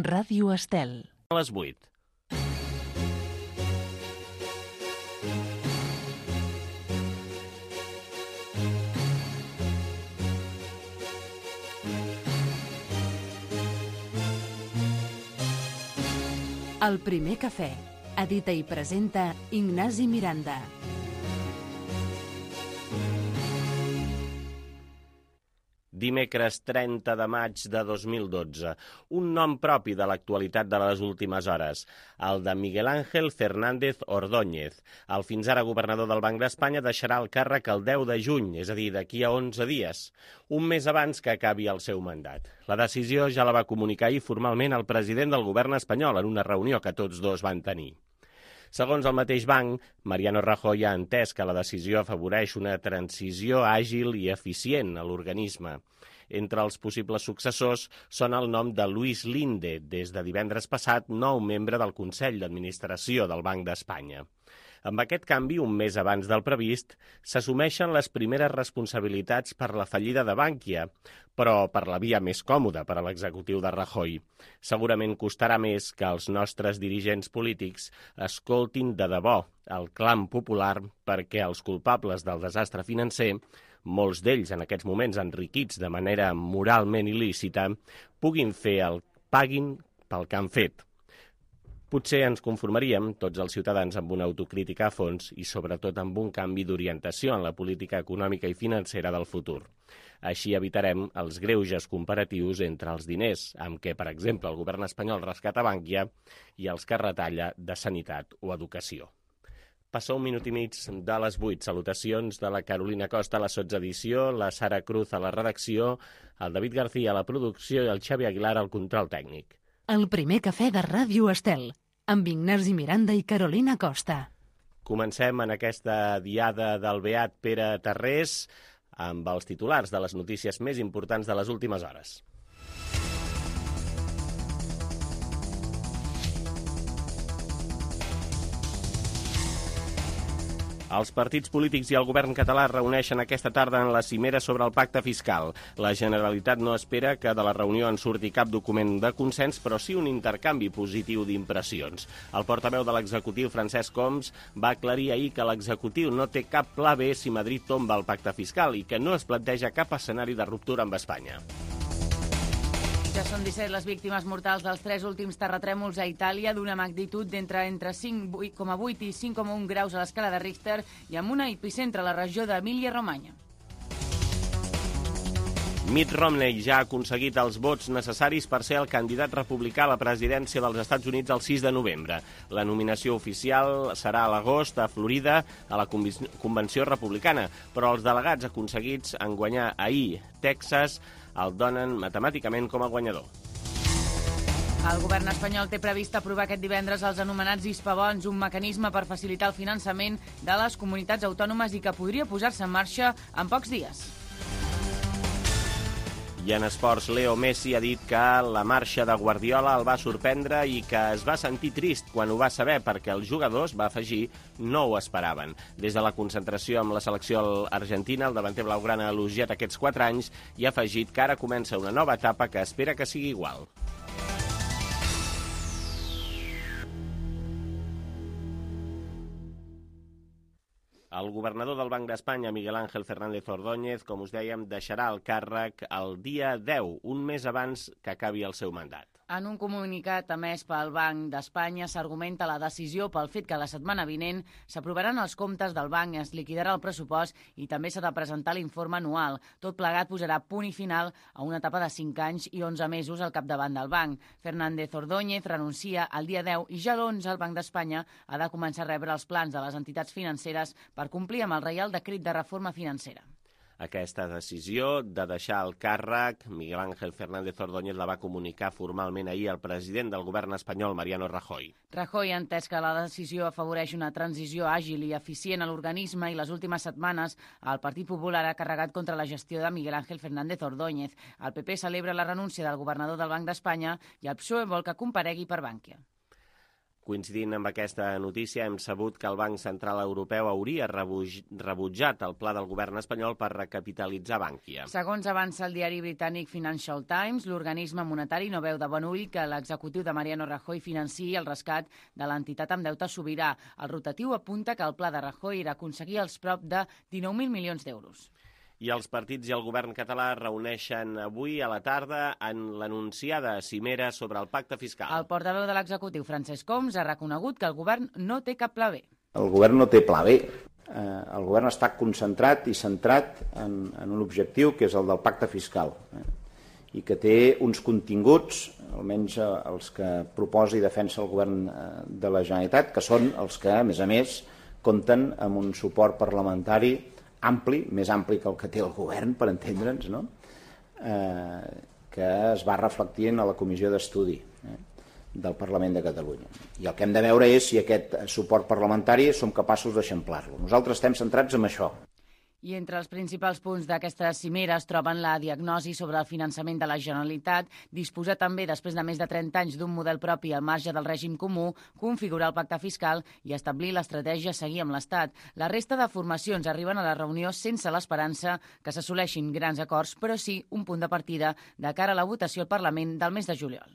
Ràdio Estel. A les 8. El primer cafè. Edita i presenta Ignasi Miranda. Dimecres 30 de maig de 2012. Un nom propi de l'actualitat de les últimes hores, el de Miguel Ángel Fernández Ordóñez. El fins ara governador del Banc d'Espanya deixarà el càrrec el 10 de juny, és a dir, d'aquí a 11 dies, un mes abans que acabi el seu mandat. La decisió ja la va comunicar ahir formalment el president del govern espanyol en una reunió que tots dos van tenir. Segons el mateix banc, Mariano Rajoy ha entès que la decisió afavoreix una transició àgil i eficient a l'organisme. Entre els possibles successors són el nom de Luis Linde, des de divendres passat nou membre del Consell d'Administració del Banc d'Espanya. Amb aquest canvi, un mes abans del previst, s'assumeixen les primeres responsabilitats per la fallida de Bankia, però per la via més còmoda per a l'executiu de Rajoy. Segurament costarà més que els nostres dirigents polítics escoltin de debò el clam popular perquè els culpables del desastre financer, molts d'ells en aquests moments enriquits de manera moralment il·lícita, paguin pel que han fet. Potser ens conformaríem, tots els ciutadans, amb una autocrítica a fons i sobretot amb un canvi d'orientació en la política econòmica i financera del futur. Així evitarem els greuges comparatius entre els diners amb què, per exemple, el govern espanyol rescata Bankia i els que retalla de sanitat o educació. Passa un minut i mig de les 8. Salutacions de la Carolina Costa a la sotsedició, la Sara Cruz a la redacció, el David García a la producció i el Xavi Aguilar al control tècnic. El primer cafè de Ràdio Estel, amb Ignasi Miranda i Carolina Costa. Comencem en aquesta diada del beat Pere Tarrés amb els titulars de les notícies més importants de les últimes hores. Els partits polítics i el govern català es reuneixen aquesta tarda en la cimera sobre el pacte fiscal. La Generalitat no espera que de la reunió en surti cap document de consens, però sí un intercanvi positiu d'impressions. El portaveu de l'executiu, Francesc Homs, va aclarir ahir que l'executiu no té cap pla B si Madrid tomba el pacte fiscal i que no es planteja cap escenari de ruptura amb Espanya. Ja són 17 les víctimes mortals dels 3 últims terratrèmols a Itàlia d'una magnitud d'entre 5,8 i 5,1 graus a l'escala de Richter i amb una epicentre a la regió d'Emília-Romanya. Mitt Romney ja ha aconseguit els vots necessaris per ser el candidat republicà a la presidència dels Estats Units el 6 de novembre. La nominació oficial serà a l'agost a Florida, a la Convenció Republicana, però els delegats aconseguits en guanyar ahir Texas el donen matemàticament com a guanyador. El govern espanyol té previst aprovar aquest divendres els anomenats hispabons, un mecanisme per facilitar el finançament de les comunitats autònomes i que podria posar-se en marxa en pocs dies. I en esports, Leo Messi ha dit que la marxa de Guardiola el va sorprendre i que es va sentir trist quan ho va saber perquè els jugadors, va afegir, no ho esperaven. Des de la concentració amb la selecció argentina, el davanter blaugrana ha elogiat aquests 4 anys i ha afegit que ara comença una nova etapa que espera que sigui igual. El governador del Banc d'Espanya, Miguel Ángel Fernández Ordóñez, com us dèiem, deixarà el càrrec el dia 10, un mes abans que acabi el seu mandat. En un comunicat emès pel Banc d'Espanya s'argumenta la decisió pel fet que la setmana vinent s'aprovaran els comptes del banc, es liquidarà el pressupost i també s'ha de presentar l'informe anual. Tot plegat posarà punt i final a una etapa de 5 anys i 11 mesos al capdavant del banc. Fernández Ordóñez renuncia el dia 10 i ja l'11 el Banc d'Espanya ha de començar a rebre els plans de les entitats financeres per complir amb el Reial Decret de Reforma Financera. Aquesta decisió de deixar el càrrec, Miguel Ángel Fernández Ordóñez la va comunicar formalment ahir al president del govern espanyol, Mariano Rajoy. Rajoy ha entès que la decisió afavoreix una transició àgil i eficient a l'organisme i les últimes setmanes el Partit Popular ha carregat contra la gestió de Miguel Ángel Fernández Ordóñez. El PP celebra la renúncia del governador del Banc d'Espanya i el PSOE vol que comparegui per Bankia. Coincidint amb aquesta notícia, hem sabut que el Banc Central Europeu hauria rebutjat el pla del govern espanyol per recapitalitzar Bankia. Segons avança el diari britànic Financial Times, l'organisme monetari no veu de bon ull que l'executiu de Mariano Rajoy financiï el rescat de l'entitat amb deute sobirà. El rotatiu apunta que el pla de Rajoy era aconseguir els prop de 19.000 milions d'euros. I els partits i el govern català reuneixen avui a la tarda en l'anunciada cimera sobre el pacte fiscal. El portaveu de l'executiu, Francesc Homs, ha reconegut que el govern no té cap pla B. El govern no té pla B. El govern està concentrat i centrat en un objectiu que és el del pacte fiscal i que té uns continguts, almenys els que proposa i defensa el govern de la Generalitat, que són els que, a més, compten amb un suport parlamentari ampli, més ampli que el que té el govern, per entendre'ns, no? Que es va reflectint a la comissió d'estudi del Parlament de Catalunya. I el que hem de veure és si aquest suport parlamentari som capaços d'eixamplar-lo. Nosaltres estem centrats en això. I entre els principals punts d'aquesta cimera es troben la diagnosi sobre el finançament de la Generalitat, disposar també, després de més de 30 anys, d'un model propi al marge del règim comú, configurar el pacte fiscal i establir l'estratègia a seguir amb l'Estat. La resta de formacions arriben a la reunió sense l'esperança que s'assoleixin grans acords, però sí un punt de partida de cara a la votació al Parlament del mes de juliol.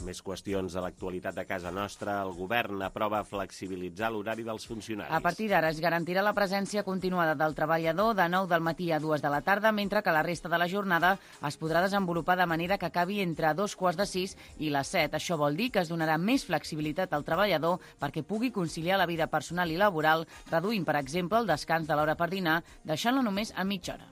Més qüestions de l'actualitat de casa nostra. El govern aprova flexibilitzar l'horari dels funcionaris. A partir d'ara es garantirà la presència continuada del treballador de 9 del matí a 2 de la tarda, mentre que la resta de la jornada es podrà desenvolupar de manera que acabi entre 2:45 i les 7. Això vol dir que es donarà més flexibilitat al treballador perquè pugui conciliar la vida personal i laboral, reduint, per exemple, el descans de l'hora per dinar, deixant-lo només a mitja hora.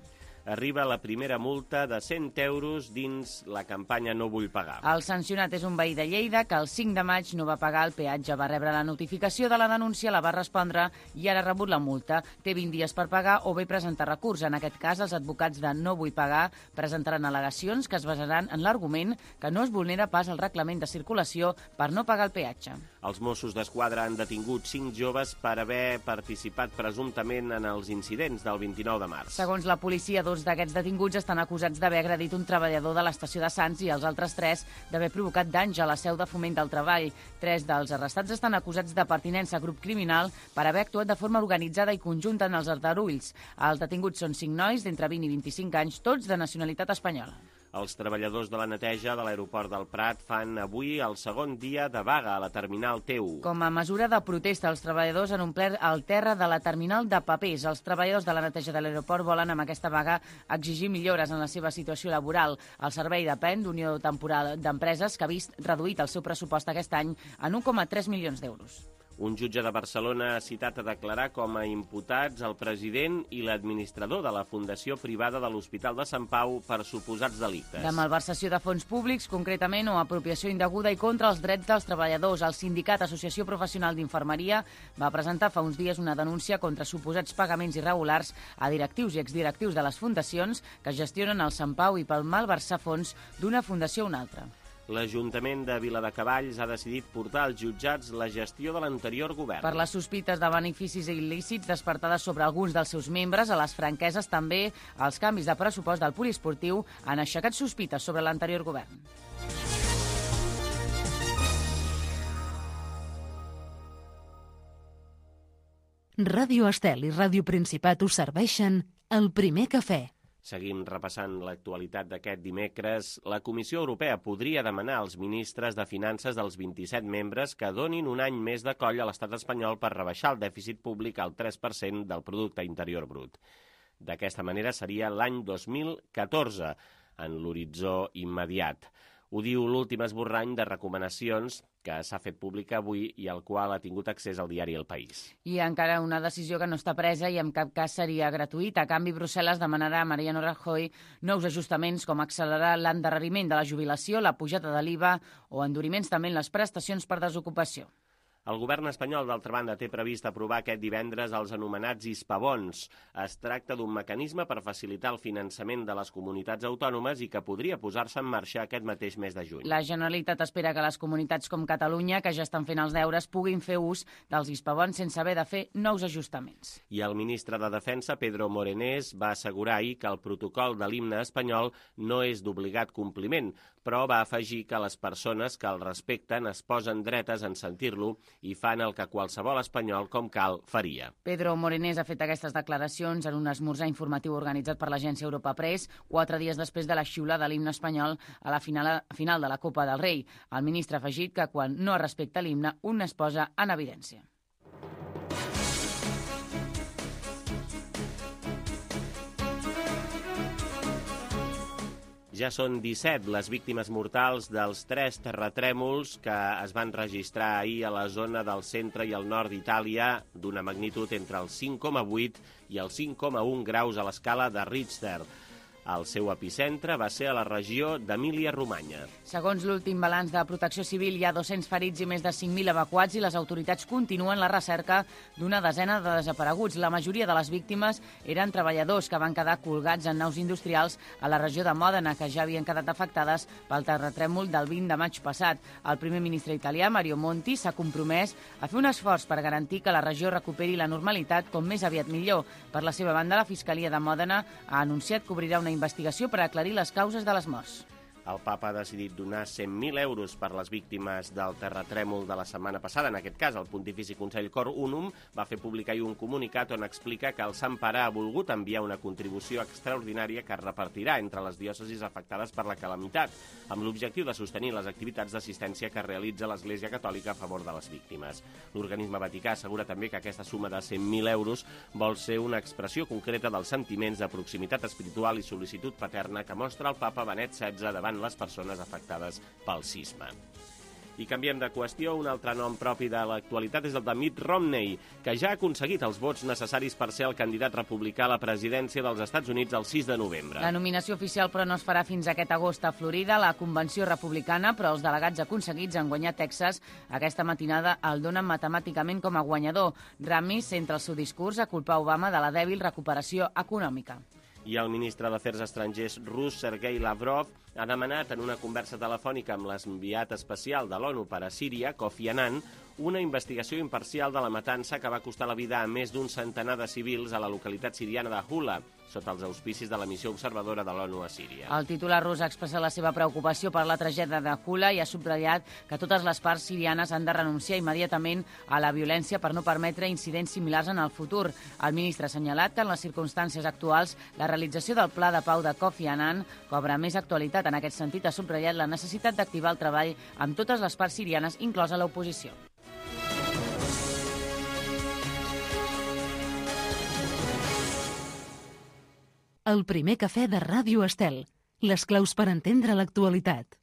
Arriba la primera multa de 100 euros dins la campanya No vull pagar. El sancionat és un veí de Lleida que el 5 de maig no va pagar el peatge. Va rebre la notificació de la denúncia, la va respondre i ara ha rebut la multa. Té 20 dies per pagar o bé presentar recurs. En aquest cas, els advocats de No vull pagar presentaran al·legacions que es basaran en l'argument que no es vulnera pas el reglament de circulació per no pagar el peatge. Els Mossos d'Esquadra han detingut 5 joves per haver participat presumptament en els incidents del 29 de març. Segons la policia, 2 d'aquests detinguts estan acusats d'haver agredit un treballador de l'estació de Sants i els altres 3 d'haver provocat danys a la seu de Foment del Treball. 3 dels arrestats estan acusats de pertinença a grup criminal per haver actuat de forma organitzada i conjunta en els aldarulls. Els detinguts són 5 nois d'entre 20 i 25 anys, tots de nacionalitat espanyola. Els treballadors de la neteja de l'aeroport del Prat fan avui el segon dia de vaga a la terminal T1. Com a mesura de protesta, els treballadors han omplert el terra de la terminal de papers. Els treballadors de la neteja de l'aeroport volen amb aquesta vaga exigir millores en la seva situació laboral. El servei depèn d'Unió Temporal d'Empreses, que ha vist reduït el seu pressupost aquest any en 1,3 milions d'euros. Un jutge de Barcelona ha citat a declarar com a imputats el president i l'administrador de la Fundació Privada de l'Hospital de Sant Pau per suposats delictes. De malversació de fons públics, concretament, o apropiació indeguda i contra els drets dels treballadors. El sindicat Associació Professional d'Infermeria va presentar fa uns dies una denúncia contra suposats pagaments irregulars a directius i exdirectius de les fundacions que gestionen el Sant Pau i pel malversar fons d'una fundació a una altra. L'Ajuntament de Viladecavalls ha decidit portar als jutjats la gestió de l'anterior govern. Per les sospites de beneficis il·lícits despertades sobre alguns dels seus membres, a les franqueses també els canvis de pressupost del poliesportiu han aixecat sospites sobre l'anterior govern. Ràdio Estel i Ràdio Principat us serveixen el primer cafè. Seguim repassant l'actualitat d'aquest dimecres. La Comissió Europea podria demanar als ministres de Finances dels 27 membres que donin un any més de coll a l'estat espanyol per rebaixar el dèficit públic al 3% del producte interior brut. D'aquesta manera seria l'any 2014, en l'horitzó immediat. Ho diu l'últim esborrany de recomanacions que s'ha fet pública avui i al qual ha tingut accés al diari El País. I encara una decisió que no està presa i en cap cas seria gratuïta. A canvi, Brussel·les demanarà a Mariano Rajoy nous ajustaments com accelerar l'endarreriment de la jubilació, la pujada de l'IVA o enduriments també en les prestacions per desocupació. El govern espanyol, d'altra banda, té previst aprovar aquest divendres els anomenats hispabons. Es tracta d'un mecanisme per facilitar el finançament de les comunitats autònomes i que podria posar-se en marxa aquest mateix mes de juny. La Generalitat espera que les comunitats com Catalunya, que ja estan fent els deures, puguin fer ús dels hispabons sense haver de fer nous ajustaments. I el ministre de Defensa, Pedro Morenés, va assegurar ahir que el protocol de l'himne espanyol no és d'obligat compliment, però va afegir que les persones que el respecten es posen dretes en sentir-lo i fan el que qualsevol espanyol, com cal, faria. Pedro Morenés ha fet aquestes declaracions en un esmorzar informatiu organitzat per l'agència Europa Press 4 dies després de la xiulada de l'himne espanyol a la final de la Copa del Rei. El ministre ha afegit que quan no es respecta l'himne, un es posa en evidència. Ja són 17 les víctimes mortals dels 3 terratrèmols que es van registrar ahir a la zona del centre i el nord d'Itàlia d'una magnitud entre els 5,8 i els 5,1 graus a l'escala de Richter. El seu epicentre va ser a la regió d'Emília-Romanya. Segons l'últim balanç de Protecció Civil, hi ha 200 ferits i més de 5.000 evacuats i les autoritats continuen la recerca d'una desena de desapareguts. La majoria de les víctimes eren treballadors que van quedar colgats en naus industrials a la regió de Mòdena, que ja havien quedat afectades pel terratrèmol del 20 de maig passat. El primer ministre italià, Mario Monti, s'ha compromès a fer un esforç per garantir que la regió recuperi la normalitat com més aviat millor. Per la seva banda, la Fiscalia de Mòdena ha anunciat que obrirà una investigació per aclarir les causes de les morts. El papa ha decidit donar 100.000 euros per les víctimes del terratrèmol de la setmana passada. En aquest cas, el Pontifici Consell Cor Unum va fer publicar un comunicat on explica que el Sant Pare ha volgut enviar una contribució extraordinària que es repartirà entre les diòcesis afectades per la calamitat, amb l'objectiu de sostenir les activitats d'assistència que realitza l'Església Catòlica a favor de les víctimes. L'organisme vaticà assegura també que aquesta suma de 100.000 euros vol ser una expressió concreta dels sentiments de proximitat espiritual i sol·licitud paterna que mostra el papa Benet XVI davant les persones afectades pel sisme. I canviem de qüestió. Un altre nom propi de l'actualitat és el de Mitt Romney, que ja ha aconseguit els vots necessaris per ser el candidat republicà a la presidència dels Estats Units el 6 de novembre. La nominació oficial, però, no es farà fins aquest agost a Florida, la convenció republicana, però els delegats aconseguits en guanyar Texas aquesta matinada el donen matemàticament com a guanyador. Ramis centra el seu discurs a culpar Obama de la dèbil recuperació econòmica. I el ministre d'Afers Estrangers rus, Sergei Lavrov, ha demanat en una conversa telefònica amb l'enviat especial de l'ONU per a Síria, Kofi Annan, una investigació imparcial de la matança que va costar la vida a més d'un centenar de civils a la localitat siriana de Hula, sota els auspicis de la missió observadora de l'ONU a Síria. El titular rus ha expressat la seva preocupació per la tragèdia de Hula i ha subratllat que totes les parts sirianes han de renunciar immediatament a la violència per no permetre incidents similars en el futur. El ministre ha assenyalat que en les circumstàncies actuals la realització del pla de pau de Kofi Annan cobra més actualitat. En aquest sentit, ha subratllat la necessitat d'activar el treball amb totes les parts sirianes, inclosa l'oposició. El primer cafè de Ràdio Estel. Les claus per entendre l'actualitat.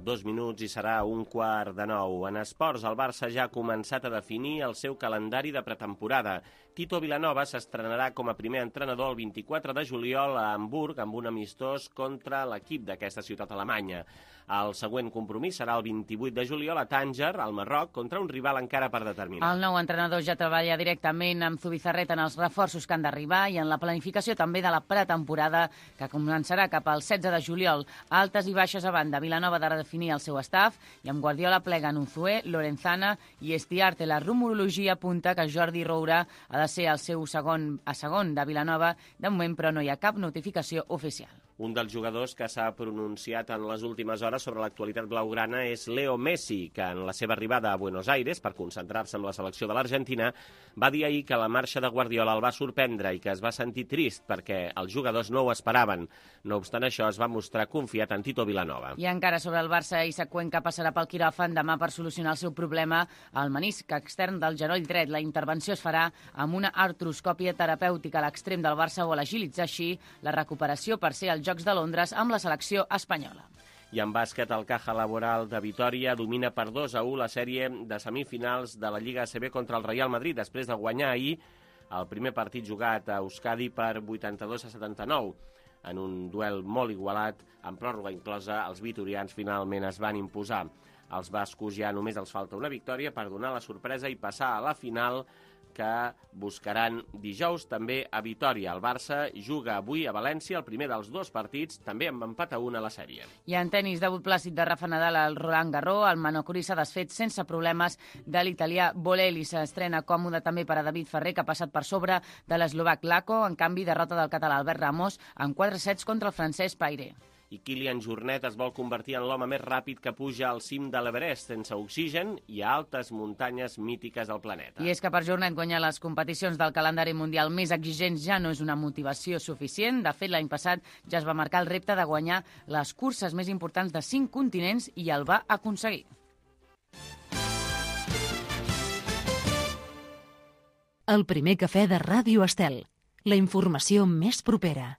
Dos minuts i serà 8:45. En esports, el Barça ja ha començat a definir el seu calendari de pretemporada. Tito Vilanova s'estrenarà com a primer entrenador el 24 de juliol a Hamburg amb un amistós contra l'equip d'aquesta ciutat alemanya. El següent compromís serà el 28 de juliol a Tànger, al Marroc, contra un rival encara per determinar. El nou entrenador ja treballa directament amb Zubizarreta en els reforços que han d'arribar i en la planificació també de la pretemporada que començarà cap al 16 de juliol. Altes i baixes a banda, Vilanova ha de redefinir el seu staff i amb Guardiola pleguen Unzué, Lorenzana i Estiarte. La rumorologia apunta que Jordi Roura ha de ser el seu segon de Vilanova. De moment, però, no hi ha cap notificació oficial. Un dels jugadors que s'ha pronunciat en les últimes hores sobre l'actualitat blaugrana és Leo Messi, que en la seva arribada a Buenos Aires per concentrar-se amb la selecció de l'Argentina va dir ahir que la marxa de Guardiola el va sorprendre i que es va sentir trist perquè els jugadors no ho esperaven. No obstant això, es va mostrar confiat en Tito Vilanova. I encara sobre el Barça, Isaac Cuenca passarà pel quiròfan demà per solucionar el seu problema al menisc extern del genoll dret. La intervenció es farà amb una artroscòpia terapèutica. L'extrem del Barça vol agilitzar així la recuperació per ser als Jocs de Londres amb la selecció espanyola. I en bàsquet, el Caja Laboral de Vitòria domina per 2-1 la sèrie de semifinals de la Lliga ACB contra el Real Madrid, després de guanyar ahir el primer partit jugat a Euskadi per 82-79. En un duel molt igualat, amb pròrroga inclosa, els vitorians finalment es van imposar. Als bascos ja només els falta una victòria per donar la sorpresa i passar a la final, que buscaran dijous també a Vitòria. El Barça juga avui a València el primer dels 2 partits, també amb empat a 1 a la sèrie. I en tenis, debut plàcid de Rafa Nadal al Roland Garros, el Manocuri s'ha desfet sense problemes de l'italià Bolelli. S'estrena còmode també per a David Ferrer, que ha passat per sobre de l'eslovac Lako. En canvi, derrota del català Albert Ramos en 4 sets contra el francès Paire. I Kilian Jornet es vol convertir en l'home més ràpid que puja al cim de l'Everest sense oxigen i a altes muntanyes mítiques del planeta. I és que per Jornet guanyar les competicions del calendari mundial més exigents ja no és una motivació suficient. De fet, l'any passat ja es va marcar el repte de guanyar les curses més importants de 5 continents i el va aconseguir. El primer cafè de Ràdio Estel. La informació més propera.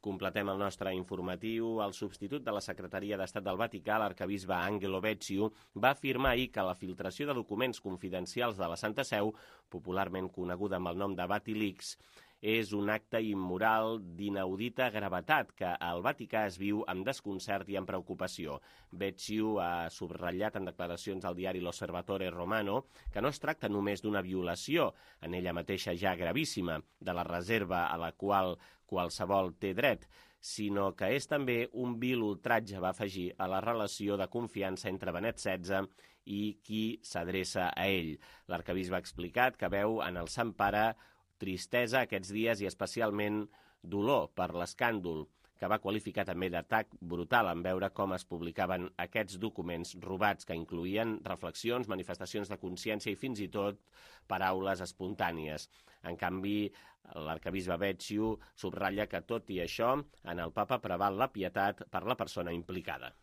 Completem el nostre informatiu. El substitut de la Secretaria d'Estat del Vaticà, l'arcabisbe Angelo Becciu, va afirmar ahir que la filtració de documents confidencials de la Santa Seu, popularment coneguda amb el nom de Vatilix, és un acte immoral d'inaudita gravetat que al Vaticà es viu amb desconcert i amb preocupació. Becciu ha subratllat en declaracions al diari L'Osservatore Romano que no es tracta només d'una violació, en ella mateixa ja gravíssima, de la reserva a la qual qualsevol té dret, sinó que és també un vil ultratge, va afegir, a la relació de confiança entre Benet XVI i qui s'adreça a ell. L'arcabisbe ha explicat que veu en el Sant Pare tristesa aquests dies i especialment dolor per l'escàndol, que va qualificar també d'atac brutal en veure com es publicaven aquests documents robats que incloïen reflexions, manifestacions de consciència i fins i tot paraules espontànies. En canvi, l'arcabisbe Becciu subratlla que, tot i això, en el papa preval la pietat per la persona implicada.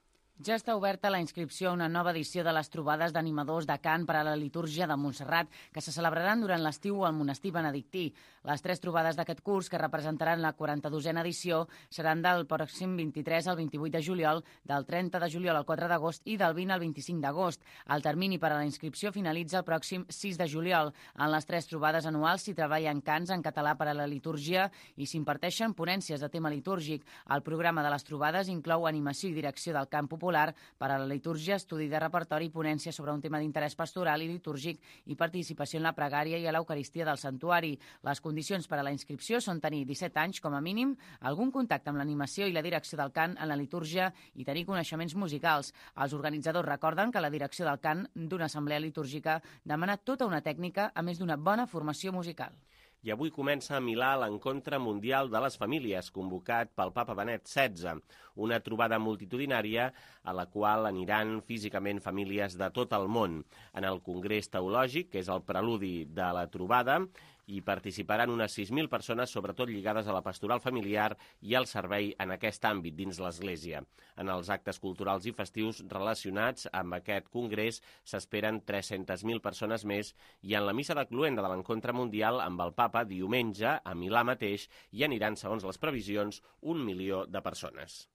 Ja està oberta la inscripció a una nova edició de les trobades d'animadors de cant per a la litúrgia de Montserrat, que se celebraran durant l'estiu al monestir benedictí. Les 3 trobades d'aquest curs, que representaran la 42a edició, seran del pròxim 23 al 28 de juliol, del 30 de juliol al 4 d'agost i del 20 al 25 d'agost. El termini per a la inscripció finalitza el pròxim 6 de juliol. En les 3 trobades anuals s'hi treballen cants en català per a la litúrgia i s'imparteixen ponències de tema litúrgic. El programa de les trobades inclou animació i direcció del cant popular per a la litúrgia, estudi de repertori i ponència sobre un tema d'interès pastoral i litúrgic i participació en la pregària i a l'Eucaristia del santuari. Les condicions per a la inscripció són tenir 17 anys com a mínim, algun contacte amb l'animació i la direcció del cant en la litúrgia i tenir coneixements musicals. Els organitzadors recorden que la direcció del cant d'una assemblea litúrgica demana tota una tècnica a més d'una bona formació musical. I avui comença a Milà l'Encontre Mundial de les Famílies, convocat pel papa Benet XVI, una trobada multitudinària a la qual aniran físicament famílies de tot el món. En el Congrés Teològic, que és el preludi de la trobada, hi participaran unes 6.000 persones, sobretot lligades a la pastoral familiar i al servei en aquest àmbit dins l'Església. En els actes culturals i festius relacionats amb aquest congrés s'esperen 300.000 persones més i en la missa de cloenda de l'Encontre Mundial amb el papa diumenge a Milà mateix hi aniran, segons les previsions, 1 milió de persones.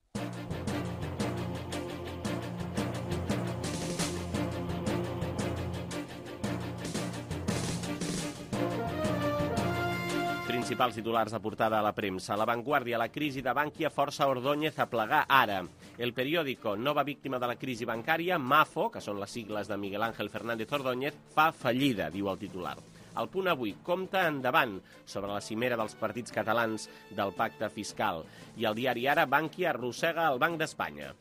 Principals titulars de portada a la premsa. La Vanguardia, la crisi de Bankia força Ordóñez a plegar ara. El periòdico, nova víctima de la crisi bancària, Mafo, que són les sigles de Miguel Ángel Fernández Ordóñez, fa fallida, diu el titular. El Punt Avui compta endavant sobre la cimera dels partits catalans del pacte fiscal. I el diari Ara, Bankia arrossega el Banc d'Espanya.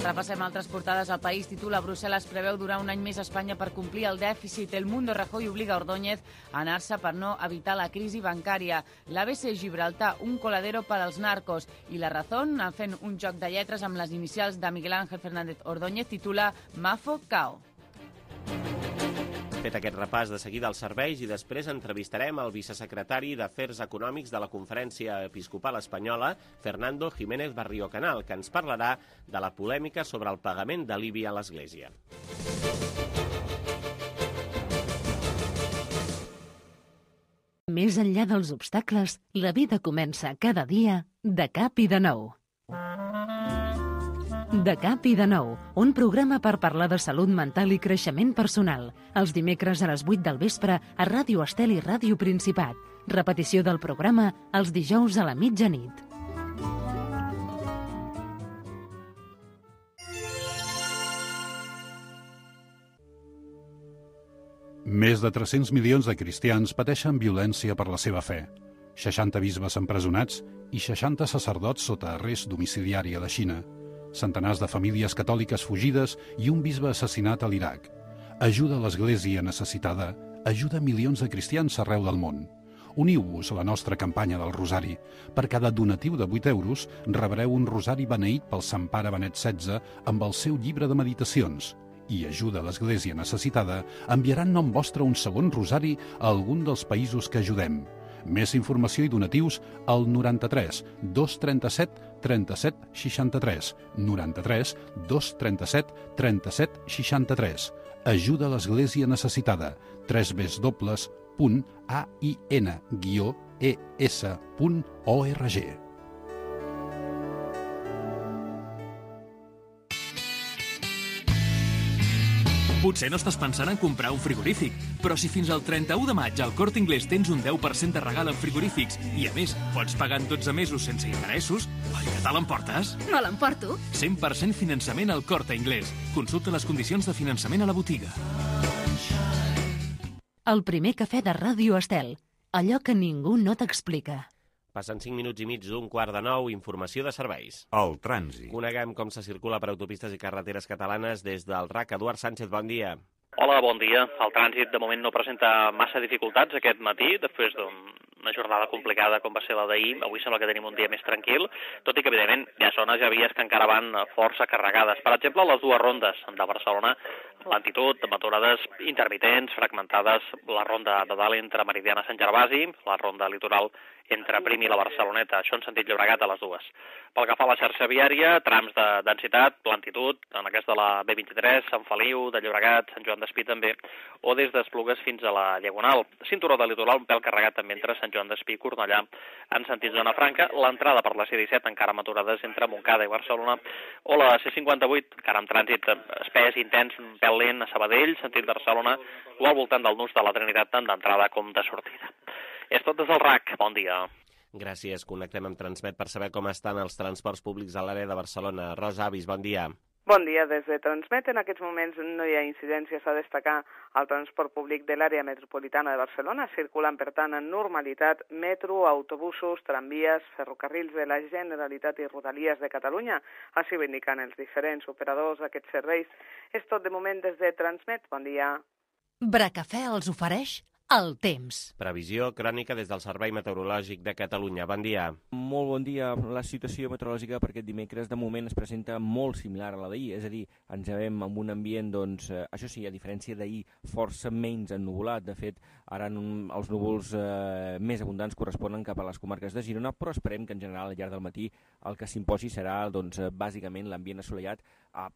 Repassem altres portades. El País titula: Brussel·les preveu durar un any més a Espanya per complir el dèficit. El Mundo, Rajoy obliga Ordóñez a anar-se per no evitar la crisi bancària. L'ABC, Gibraltar, un coladero per als narcos. I La Razón, fent un joc de lletres amb les inicials de Miguel Ángel Fernández Ordóñez, titula Mafo Cao. Fet aquest repàs, de seguida als serveis i després entrevistarem el vicesecretari d'Afers Econòmics de la Conferència Episcopal Espanyola, Fernando Jiménez Barrio Canal, que ens parlarà de la polèmica sobre el pagament de l'IBI a l'Església. Més enllà dels obstacles, la vida comença cada dia de cap i de nou. De cap i de nou, un programa per parlar de salut mental i creixement personal. Els dimecres a les 8 del vespre a Ràdio Estel i Ràdio Principat. Repetició del programa els dijous a la mitjanit. Més de 300 milions de cristians pateixen violència per la seva fe. 60 bisbes empresonats i 60 sacerdots sota arrest domiciliari a la Xina. Centenars de famílies catòliques fugides i un bisbe assassinat a l'Iraq. Ajuda a l'Església necessitada, ajuda milions de cristians arreu del món. Uniu-vos a la nostra campanya del Rosari. Per cada donatiu de 8 euros rebreu un rosari beneït pel Sant Pare Benet XVI amb el seu llibre de meditacions. I ajuda a l'Església necessitada enviarà en nom vostre un segon rosari a algun dels països que ajudem. Més informació i donatius al 93 237 37 63. 93 237 37 63. Ajuda a l'Església necessitada. www.ain-es.org. Potser no estàs pensant en comprar un frigorífic, però si fins al 31 de maig al Corte Inglés tens un 10% de regal en frigorífics i, a més, pots pagar en 12 mesos sense interessos, oi que te l'emportes? Me l'emporto. 100% finançament al Corte Inglés. Consulta les condicions de finançament a la botiga. El primer cafè de Ràdio Estel. Allò que ningú no t'explica. Passen 5 minuts i mig d'un 8:45, informació de serveis. El trànsit. Coneguem com se circula per autopistes i carreteres catalanes des del RAC. Eduard Sánchez, bon dia. Hola, bon dia. El trànsit de moment no presenta massa dificultats aquest matí, després d'una jornada complicada com va ser la d'ahir. Avui sembla que tenim un dia més tranquil, tot i que, evidentment, hi ha zones, hi ha vies que encara van força carregades. Per exemple, les dues rondes de Barcelona, lentitud, aturades intermitents, fragmentades, la ronda de dalt entre Meridiana i Sant Gervasi, la ronda litoral entre Prim i la Barceloneta, això en sentit Llobregat a les dues. Pel que fa a la xarxa viària, trams de densitat, lentitud, en aquest de la B23, Sant Feliu, de Llobregat, Sant Joan d'Espí també, o des d'Esplugues fins a la Diagonal. Cinturó de litoral un pèl carregat també entre Sant Joan d'Espí i Cornellà en sentit zona franca, l'entrada per la C17 encara amb aturades entre Montcada i Barcelona, o la C58 encara amb trànsit espès, intens, un pèl lent a Sabadell, sentit Barcelona, o al voltant del nus de la Trinitat tant d'entrada com de sortida. És tot des del RAC. Bon dia. Gràcies. Connectem amb Transmet per saber com estan els transports públics a l'àrea de Barcelona. Rosa Avis, bon dia. Bon dia. Des de Transmet en aquests moments no hi ha incidències a destacar al transport públic de l'àrea metropolitana de Barcelona. Circulen, per tant, en normalitat metro, autobusos, tramvies, ferrocarrils de la Generalitat i Rodalies de Catalunya. Així ho indiquen els diferents operadors d'aquests serveis. És tot de moment des de Transmet. Bon dia. Bracafè els ofereix el temps. Previsió crònica des del Servei Meteorològic de Catalunya. Bon dia. Molt bon dia. La situació meteorològica per aquest dimecres de moment es presenta molt similar a la d'ahir, és a dir, ens veiem amb un ambient, doncs, això sí, a diferència d'ahir, força menys ennuvolat. De fet, ara els núvols més abundants corresponen cap a les comarques de Girona, però esperem que en general al llarg del matí el que s'imposi serà, doncs, bàsicament l'ambient assolellat a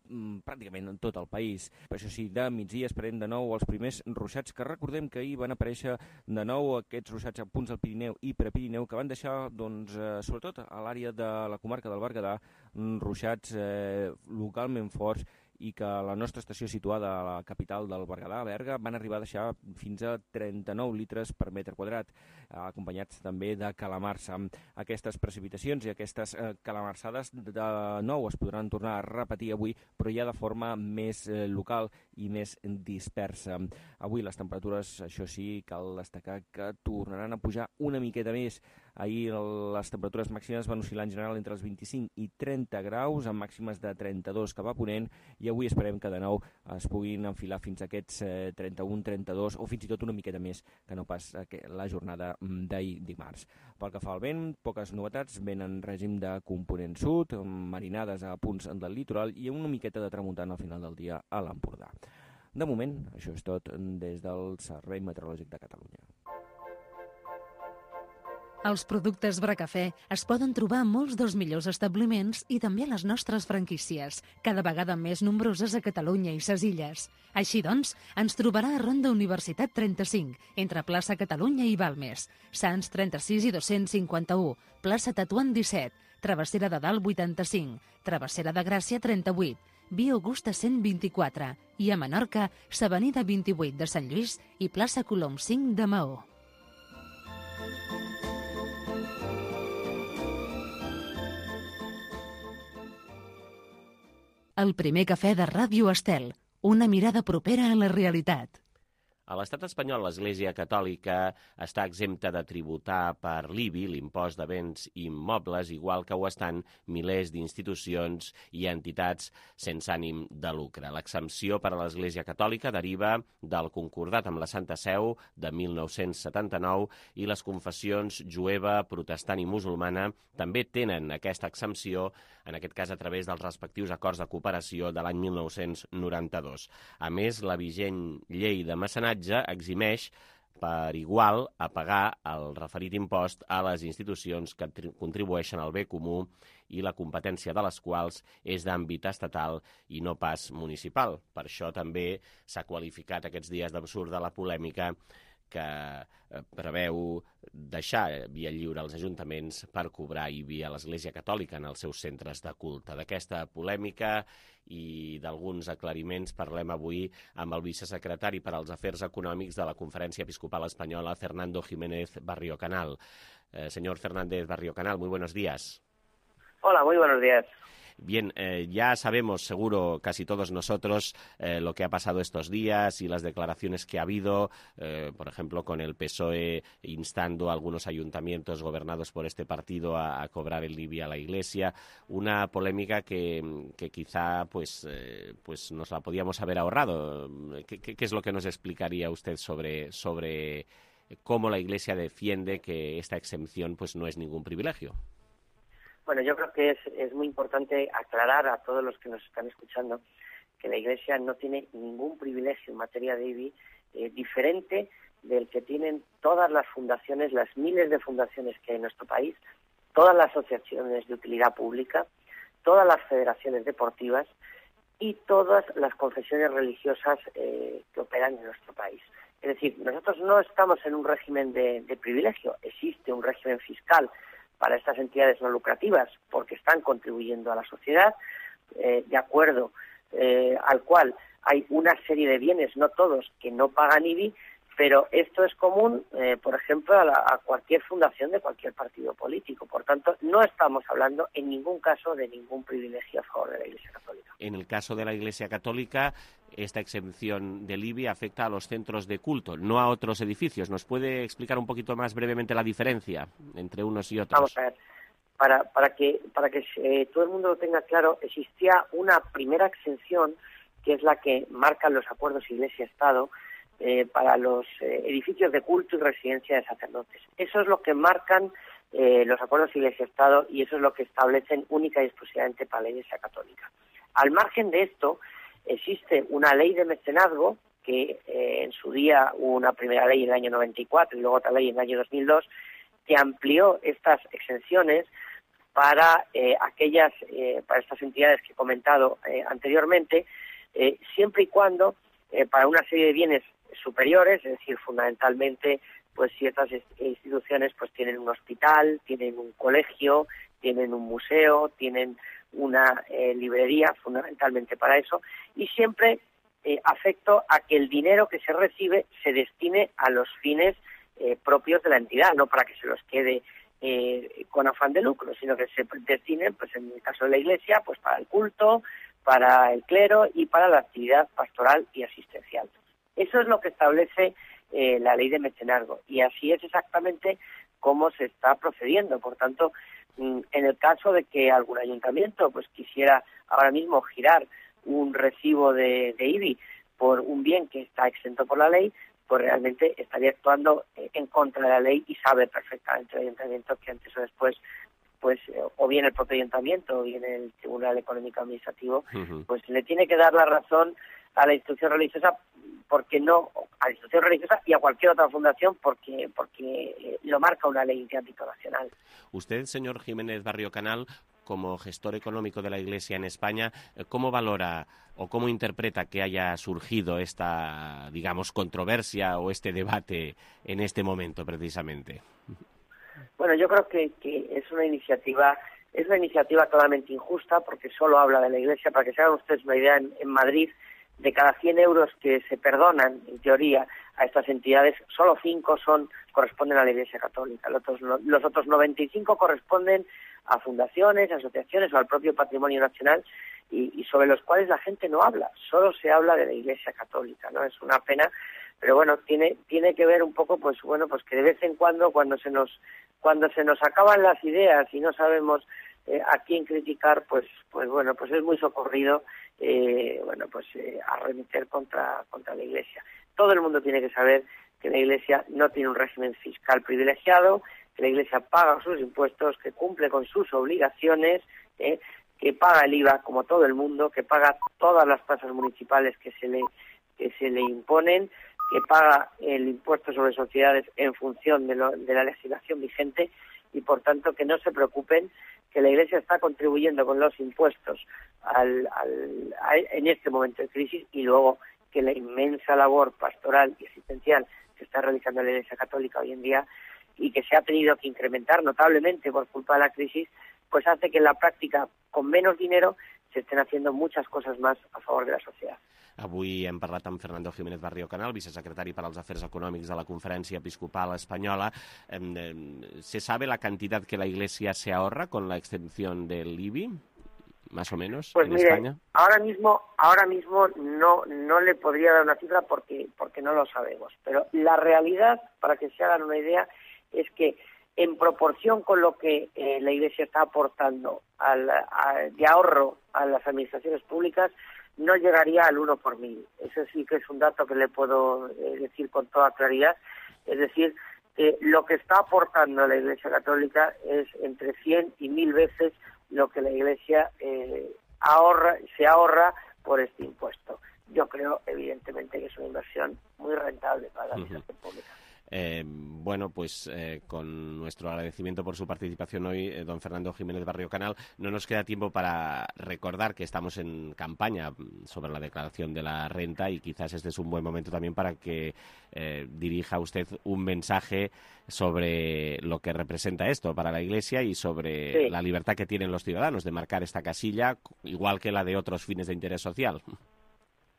pràcticament en tot el país. Això sí, de migdia esperem de nou els primers ruixats, que recordem que ahir van aparèixer de nou aquests ruixats a punts del Pirineu i Prepirineu que van deixar, doncs, sobretot a l'àrea de la comarca del Berguedà, ruixats localment forts i que la nostra estació situada a la capital del Berguedà, a Berga, van arribar a deixar fins a 39 litres per metre quadrat, acompanyats també de calamarsa. Aquestes precipitacions i aquestes calamarsades de nou es podran tornar a repetir avui, però ja de forma més local i més dispersa. Avui les temperatures, això sí, cal destacar que tornaran a pujar una miqueta més. Ahir les temperatures màximes van oscil·lar en general entre els 25 i 30 graus, amb màximes de 32 cap a ponent, i avui esperem que de nou es puguin enfilar fins a aquests 31, 32 o fins i tot una miqueta més que no pas la jornada d'ahir dimarts. Pel que fa al vent, poques novetats, vent en règim de component sud, marinades a punts del litoral i una miqueta de tramuntana al final del dia a l'Empordà. De moment, això és tot des del Servei Meteorològic de Catalunya. Els productes Bracafè es poden trobar a molts dels millors establiments i també a les nostres franquícies, cada vegada més nombroses a Catalunya i ses illes. Així doncs, ens trobarà a Ronda Universitat 35, entre plaça Catalunya i Balmes, Sants 36 i 251, plaça Tetuan 17, Travessera de Dalt 85, Travessera de Gràcia 38, Via Augusta 124 i a Menorca, s'Avenida 28 de Sant Lluís i plaça Colom 5 de Maó. El primer cafè de Ràdio Estel. Una mirada propera a la realitat. A l'estat espanyol, l'Església Catòlica està exempta de tributar per l'IBI, l'impost de béns immobles, igual que ho estan milers d'institucions i entitats sense ànim de lucre. L'exempció per a l'Església Catòlica deriva del concordat amb la Santa Seu de 1979 i les confessions jueva, protestant i musulmana també tenen aquesta exempció, en aquest cas a través dels respectius acords de cooperació de l'any 1992. A més, la vigent llei de mecenatge eximeix per igual a pagar el referit impost a les institucions que contribueixen al bé comú i la competència de les quals és d'àmbit estatal i no pas municipal. Per això també s'ha qualificat aquests dies d'absurda la polèmica que preveu deixar via lliure als ajuntaments per cobrar IBI a l'Església Catòlica en els seus centres de culte. D'aquesta polèmica i d'alguns aclariments parlem avui amb el vicesecretari per als Afers Econòmics de la Conferència Episcopal Espanyola, Fernando Jiménez Barrio Canal. Señor Fernández Barrio Canal, muy buenos días. Hola, muy buenos días. Bien, ya sabemos, seguro, casi todos nosotros, lo que ha pasado estos días y las declaraciones que ha habido, por ejemplo, con el PSOE instando a algunos ayuntamientos gobernados por este partido a cobrar el IBI a la Iglesia. Una polémica que quizá pues nos la podíamos haber ahorrado. ¿Qué es lo que nos explicaría usted sobre cómo la Iglesia defiende que esta exención pues no es ningún privilegio? Bueno, yo creo que es muy importante aclarar a todos los que nos están escuchando que la Iglesia no tiene ningún privilegio en materia de IBI diferente del que tienen todas las fundaciones, las miles de fundaciones que hay en nuestro país, todas las asociaciones de utilidad pública, todas las federaciones deportivas y todas las confesiones religiosas que operan en nuestro país. Es decir, nosotros no estamos en un régimen de privilegio, existe un régimen fiscal para estas entidades no lucrativas, porque están contribuyendo a la sociedad, de acuerdo al cual hay una serie de bienes, no todos, que no pagan IBI, pero esto es común, por ejemplo, a cualquier fundación de cualquier partido político. Por tanto, no estamos hablando en ningún caso de ningún privilegio a favor de la Iglesia Católica. En el caso de la Iglesia Católica, esta exención del IBI afecta a los centros de culto, no a otros edificios. ¿Nos puede explicar un poquito más brevemente la diferencia entre unos y otros? Vamos a ver. Para que todo el mundo lo tenga claro, existía una primera exención, que es la que marcan los acuerdos Iglesia-Estado, para los edificios de culto y residencia de sacerdotes. Eso es lo que marcan los acuerdos Iglesia-Estado y eso es lo que establecen única y exclusivamente para la Iglesia Católica. Al margen de esto, existe una ley de mecenazgo que en su día hubo una primera ley en el año 94 y luego otra ley en el año 2002 que amplió estas exenciones para para estas entidades que he comentado anteriormente, siempre y cuando para una serie de bienes superiores, es decir, fundamentalmente, pues ciertas instituciones pues tienen un hospital, tienen un colegio, tienen un museo, tienen una librería, fundamentalmente para eso, y siempre afecto a que el dinero que se recibe se destine a los fines propios de la entidad, no para que se los quede con afán de lucro, sino que se destinen, pues en el caso de la Iglesia, pues para el culto, para el clero y para la actividad pastoral y asistencial. Eso es lo que establece la ley de mecenazgo y así es exactamente cómo se está procediendo. Por tanto, en el caso de que algún ayuntamiento pues quisiera ahora mismo girar un recibo de IBI por un bien que está exento por la ley, pues realmente estaría actuando en contra de la ley y sabe perfectamente el ayuntamiento que antes o después pues o bien el propio ayuntamiento o bien el Tribunal Económico Administrativo pues le tiene que dar la razón a la institución religiosa porque no a la institución religiosa y a cualquier otra fundación porque lo marca una ley de ámbito nacional. Usted, señor Jiménez Barrio Canal, como gestor económico de la Iglesia en España, ¿cómo valora o cómo interpreta que haya surgido esta, digamos, controversia o este debate en este momento precisamente? Bueno, yo creo que es una iniciativa claramente injusta porque solo habla de la Iglesia. Para que se hagan ustedes una idea, en Madrid, de cada 100 euros que se perdonan, en teoría, a estas entidades, solo 5 corresponden a la Iglesia Católica. Los otros 95 corresponden a fundaciones, asociaciones o al propio patrimonio nacional y sobre los cuales la gente no habla, solo se habla de la Iglesia Católica, ¿no? Es una pena, pero bueno, tiene que ver un poco, pues que de vez en cuando se nos acaban las ideas y no sabemos a quién criticar, pues es muy socorrido arremeter contra la Iglesia. Todo el mundo tiene que saber que la Iglesia no tiene un régimen fiscal privilegiado, que la Iglesia paga sus impuestos, que cumple con sus obligaciones, que paga el IVA como todo el mundo, que paga todas las tasas municipales que se le imponen, que paga el impuesto sobre sociedades en función de la legislación vigente y, por tanto, que no se preocupen, que la Iglesia está contribuyendo con los impuestos en este momento de crisis, y luego que la inmensa labor pastoral y asistencial que está realizando la Iglesia Católica hoy en día y que se ha tenido que incrementar notablemente por culpa de la crisis, pues hace que en la práctica, con menos dinero, se estén haciendo muchas cosas más a favor de la sociedad. Avui hem parlat amb Fernando Jiménez Barrio Canal, vicesecretari per als Afers Econòmics de la Conferència Episcopal Española. ¿Se sabe la cantidad que la Iglesia se ahorra con la extensión del IBI, más o menos, pues en mire, España? Ahora mismo no le podría dar una cifra porque no lo sabemos. Pero la realidad, para que se hagan una idea, es que en proporción con lo que la Iglesia está aportando de ahorro a las administraciones públicas, no llegaría al 1 por 1000. Eso sí que es un dato que le puedo decir con toda claridad. Es decir, lo que está aportando la Iglesia Católica es entre 100 y 1000 veces lo que la Iglesia se ahorra por este impuesto. Yo creo, evidentemente, que es una inversión muy rentable para la administración pública. Con nuestro agradecimiento por su participación hoy, don Fernando Jiménez Barrio Canal, no nos queda tiempo para recordar que estamos en campaña sobre la declaración de la renta y quizás este es un buen momento también para que dirija usted un mensaje sobre lo que representa esto para la Iglesia y sobre la libertad que tienen los ciudadanos de marcar esta casilla, igual que la de otros fines de interés social.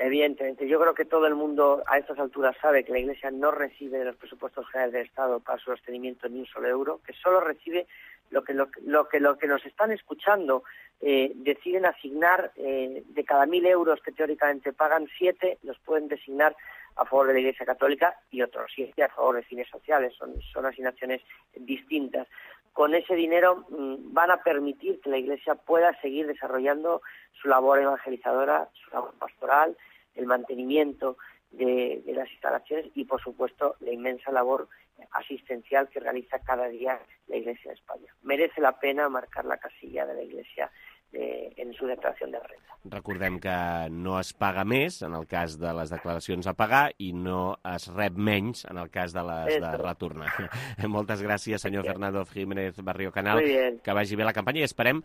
Evidentemente, yo creo que todo el mundo a estas alturas sabe que la Iglesia no recibe de los presupuestos generales del Estado para su sostenimiento ni un solo euro, que solo recibe lo que nos están escuchando deciden asignar de cada 1000 euros que teóricamente pagan, 7 los pueden designar a favor de la Iglesia Católica y otros 7 a favor de fines sociales. Son asignaciones distintas. Con ese dinero van a permitir que la Iglesia pueda seguir desarrollando su labor evangelizadora, su labor pastoral, el mantenimiento de las instalaciones y, por supuesto, la inmensa labor asistencial que realiza cada día la Iglesia de España. Merece la pena marcar la casilla de la Iglesia en su declaració de renta. Recordem que no es paga més en el cas de les declaracions a pagar i no es rep menys en el cas de les de retornar. Moltes gràcies, senyor Fernando Jiménez Barrio Canal. Que vagi bé la campanya i esperem,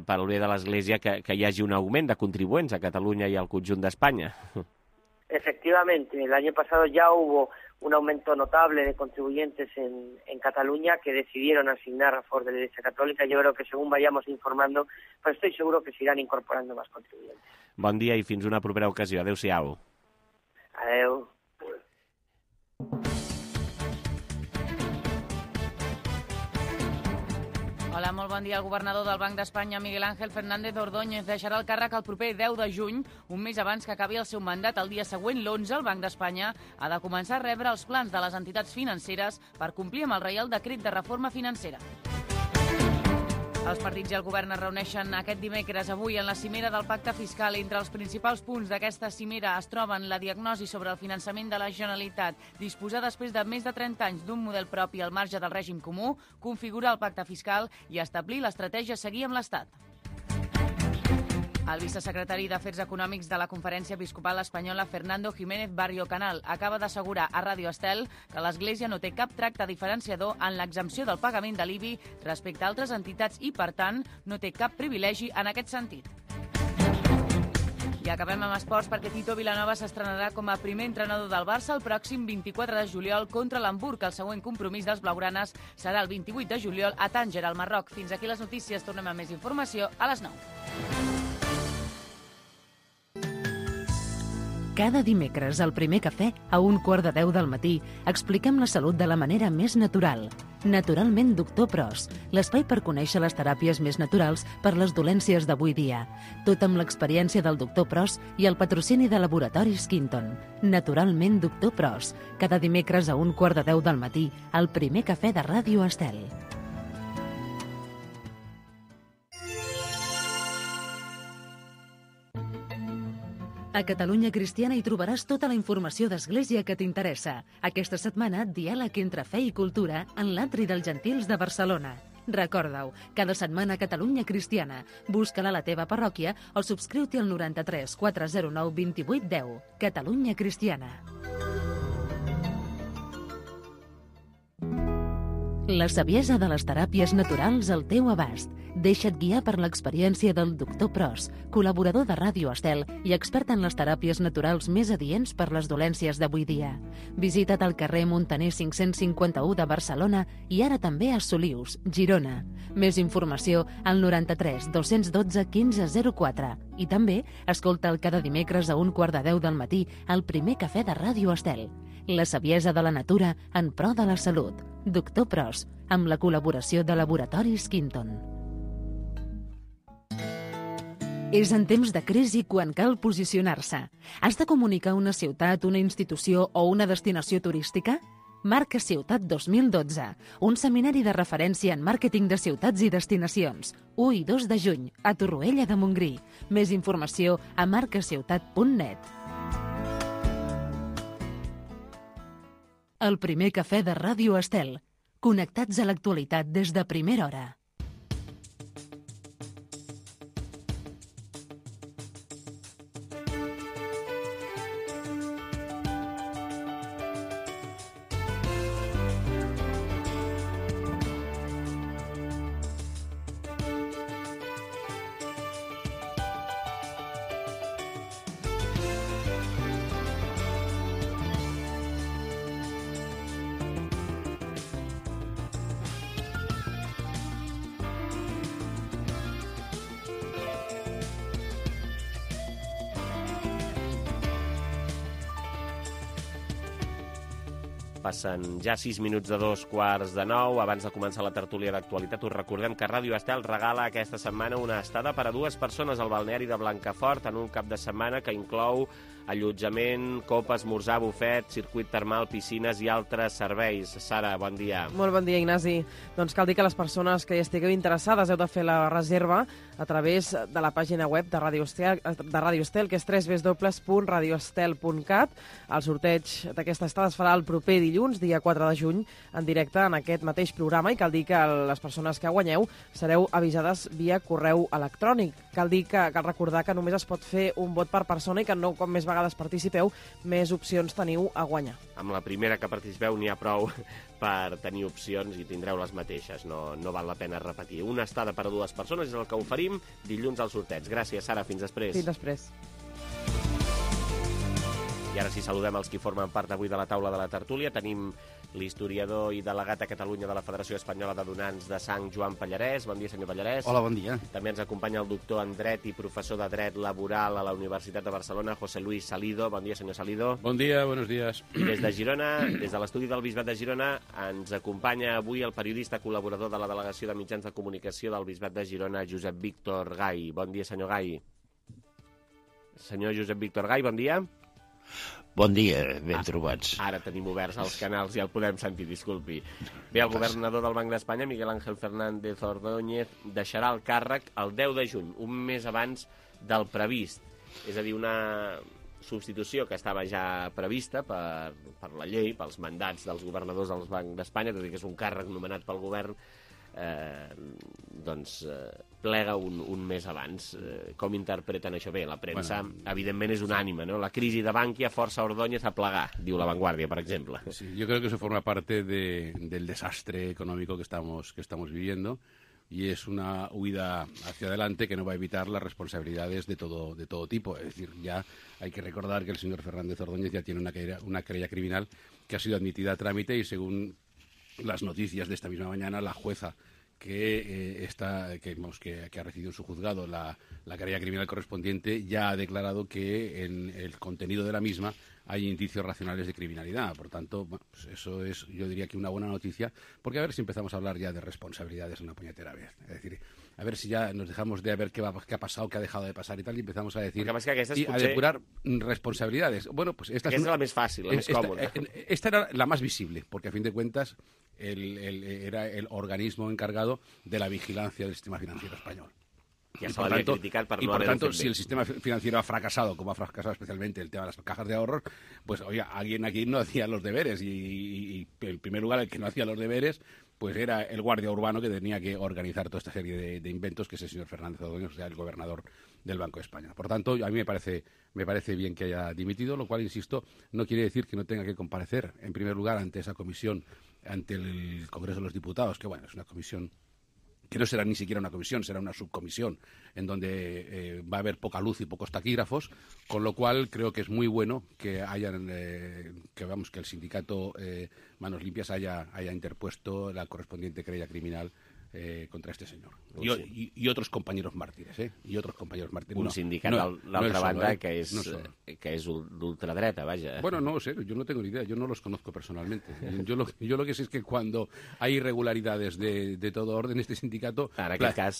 pel bé de l'Església, que hi hagi un augment de contribuents a Catalunya i al conjunt d'Espanya. Efectivamente, el año pasado ya hubo un aumento notable de contribuyentes en Cataluña que decidieron asignar a favor de la Iglesia Católica. Yo creo que según vayamos informando, pues estoy seguro que se irán incorporando más contribuyentes. Bon dia i fins una propera ocasió. Adéu-siau. Adéu. Hola, molt bon dia. El governador del Banc d'Espanya, Miguel Ángel Fernández Ordóñez, deixarà el càrrec el proper 10 de juny, un mes abans que acabi el seu mandat. El dia següent, l'11, el Banc d'Espanya ha de començar a rebre els plans de les entitats financeres per complir amb el Reial Decret de Reforma Financera. Els partits i el govern es reuneixen aquest dimecres avui en la cimera del Pacte Fiscal. Entre els principals punts d'aquesta cimera es troben la diagnosi sobre el finançament de la Generalitat, disposar després de més de 30 anys d'un model propi al marge del règim comú, configurar el pacte fiscal i establir l'estratègia a seguir amb l'Estat. El vicesecretari d'Afers Econòmics de la Conferència Episcopal Espanyola, Fernando Jiménez Barrio Canal, acaba d'assegurar a Ràdio Estel que l'Església no té cap tracte diferenciador en l'exempció del pagament de l'IBI respecte a altres entitats i, per tant, no té cap privilegi en aquest sentit. I acabem amb esports perquè Tito Vilanova s'estrenarà com a primer entrenador del Barça el pròxim 24 de juliol contra l'Hamburg. El següent compromís dels blaugranes serà el 28 de juliol a Tànger, al Marroc. Fins aquí les notícies. Tornem amb més informació a les 9. Cada dimecres, al Primer Cafè, a 1:15 del matí, expliquem la salut de la manera més natural. Naturalment Doctor Pros, l'espai per conèixer les teràpies més naturals per les dolències d'avui dia. Tot amb l'experiència del Doctor Pros i el patrocini de Laboratoris Quinton. Naturalment Doctor Pros, cada dimecres a 1:15 del matí, al Primer Cafè de Ràdio Estel. A Catalunya Cristiana hi trobaràs tota la informació d'Església que t'interessa. Aquesta setmana, diàleg entre fe i cultura en l'Atri dels Gentils de Barcelona. Recorda-ho, cada setmana a Catalunya Cristiana. Busca-la a la teva parròquia o subscriu-t'hi al 93 409 28 10. Catalunya Cristiana. La saviesa de les teràpies naturals al teu abast. Deixa't guiar per l'experiència del Doctor Pros, col·laborador de Ràdio Estel i expert en les teràpies naturals més adients per les dolències d'avui dia. Visita't al carrer Montaner 551 de Barcelona i ara també a Solius, Girona. Més informació al 93 212 1504 i també escolta'l cada dimecres a 1:15 del matí al Primer Cafè de Ràdio Estel. La saviesa de la natura en pro de la salut. Doctor Pros, amb la col·laboració de Laboratoris Quinton. És en temps de crisi quan cal posicionar-se. Has de comunicar una ciutat, una institució o una destinació turística? Marca Ciutat 2012, un seminari de referència en màrqueting de ciutats i destinacions. 1 i 2 de juny, a Torroella de Montgrí. Més informació a marcaciutat.net. El Primer Cafè de Ràdio Estel. Connectats a l'actualitat des de primera hora. Passen ja 6 minuts de 2:15. Abans de començar la tertúlia d'actualitat, us recordem que Ràdio Estel regala aquesta setmana una estada per a 2 persones al balneari de Blancafort en un cap de setmana que inclou allotjament, copa, esmorzar, bufet, circuit termal, piscines i altres serveis. Sara, bon dia. Molt bon dia, Ignasi. Doncs cal dir que les persones que hi estigueu interessades heu de fer la reserva a través de la pàgina web de Ràdio Estel, que és www.radioestel.cat. El sorteig d'aquesta estada es farà el proper dilluns, dia 4 de juny, en directe en aquest mateix programa, i cal dir que les persones que guanyeu sereu avisades via correu electrònic. Cal recordar que només es pot fer un vot per persona i que no, com més vegades participeu, més opcions teniu a guanyar. Amb la primera que participeu n'hi ha prou per tenir opcions i tindreu les mateixes. No val la pena repetir. Una estada per a 2 persones és el que oferim dilluns al sorteig. Gràcies, Sara. Fins després. Fins després. I ara sí, saludem els que formen part avui de la taula de la tertúlia. Tenim l'historiador i delegat a Catalunya de la Federació Espanyola de Donants de Sang, Joan Pallarès. Bon dia, senyor Pallarès. Hola, bon dia. També ens acompanya el doctor en dret i professor de dret laboral a la Universitat de Barcelona, José Luis Salido. Bon dia, senyor Salido. Bon dia, buenos días. I des de Girona, des de l'estudi del Bisbat de Girona, ens acompanya avui el periodista col·laborador de la Delegació de Mitjans de Comunicació del Bisbat de Girona, Josep Víctor Gai. Bon dia, senyor Gai. Senyor Josep Víctor Gai, bon dia. Bon dia, ben trobats. Ara tenim oberts els canals i el podem sentir, disculpi. Bé, el governador del Banc d'Espanya, Miguel Ángel Fernández Ordóñez, deixarà el càrrec el 10 de juny, un mes abans del previst. És a dir, una substitució que estava ja prevista per la llei, pels mandats dels governadors del Banc d'Espanya, tot i que és un càrrec nomenat pel govern, plega un mes abans. Com interpreten això? Bé, la premsa, evidentment, és unànime, ¿no? La crisi de Bankia força Ordóñez a plegar, diu La Vanguardia, per exemple. Sí, yo creo que eso forma parte del desastre económico que estamos viviendo, y es una huida hacia adelante que no va a evitar las responsabilidades de todo tipo. Es decir, ya hay que recordar que el señor Fernández Ordóñez ya tiene una querella criminal que ha sido admitida a trámite, y según las noticias de esta misma mañana, la jueza que ha recibido en su juzgado la querella criminal correspondiente, ya ha declarado que en el contenido de la misma hay indicios racionales de criminalidad. Por tanto, bueno, pues eso es, yo diría que una buena noticia, porque a ver si empezamos a hablar ya de responsabilidades una puñetera vez. Es decir, a ver si ya nos dejamos de ver qué ha pasado, qué ha dejado de pasar y tal, y empezamos a decir a depurar responsabilidades. Bueno, pues esta és la més fàcil, la més còmoda. Esta era la más visible, porque a fin de cuentas era el organismo encargado de la vigilancia del sistema financiero español. Ja se l'havia criticat per no haver-ho fet bé. Y por tanto, si el sistema financiero ha fracasado, como ha fracasado especialmente el tema de las cajas de ahorros, pues oye, alguien aquí no hacía los deberes y en primer lugar el que no hacía los deberes pues era el guardia urbano que tenía que organizar toda esta serie de inventos, que es el señor Fernández Ordóñez, o sea, el gobernador del Banco de España. Por tanto, a mí me parece bien que haya dimitido, lo cual, insisto, no quiere decir que no tenga que comparecer, en primer lugar, ante esa comisión, ante el Congreso de los Diputados, que bueno, es una comisión que no será ni siquiera una comisión, será una subcomisión, en donde va a haber poca luz y pocos taquígrafos, con lo cual creo que es muy bueno que que el sindicato Manos Limpias haya interpuesto la correspondiente querella criminal contra este señor. Y otros compañeros mártires, Y otros compañeros mártires. Un sindicat, d'altra banda, que és d'ultradreta, vaja. Bueno, no sé, yo no tengo ni idea, yo no los conozco personalmente. Yo lo que sé es que cuando hay irregularidades de todo orden, este sindicato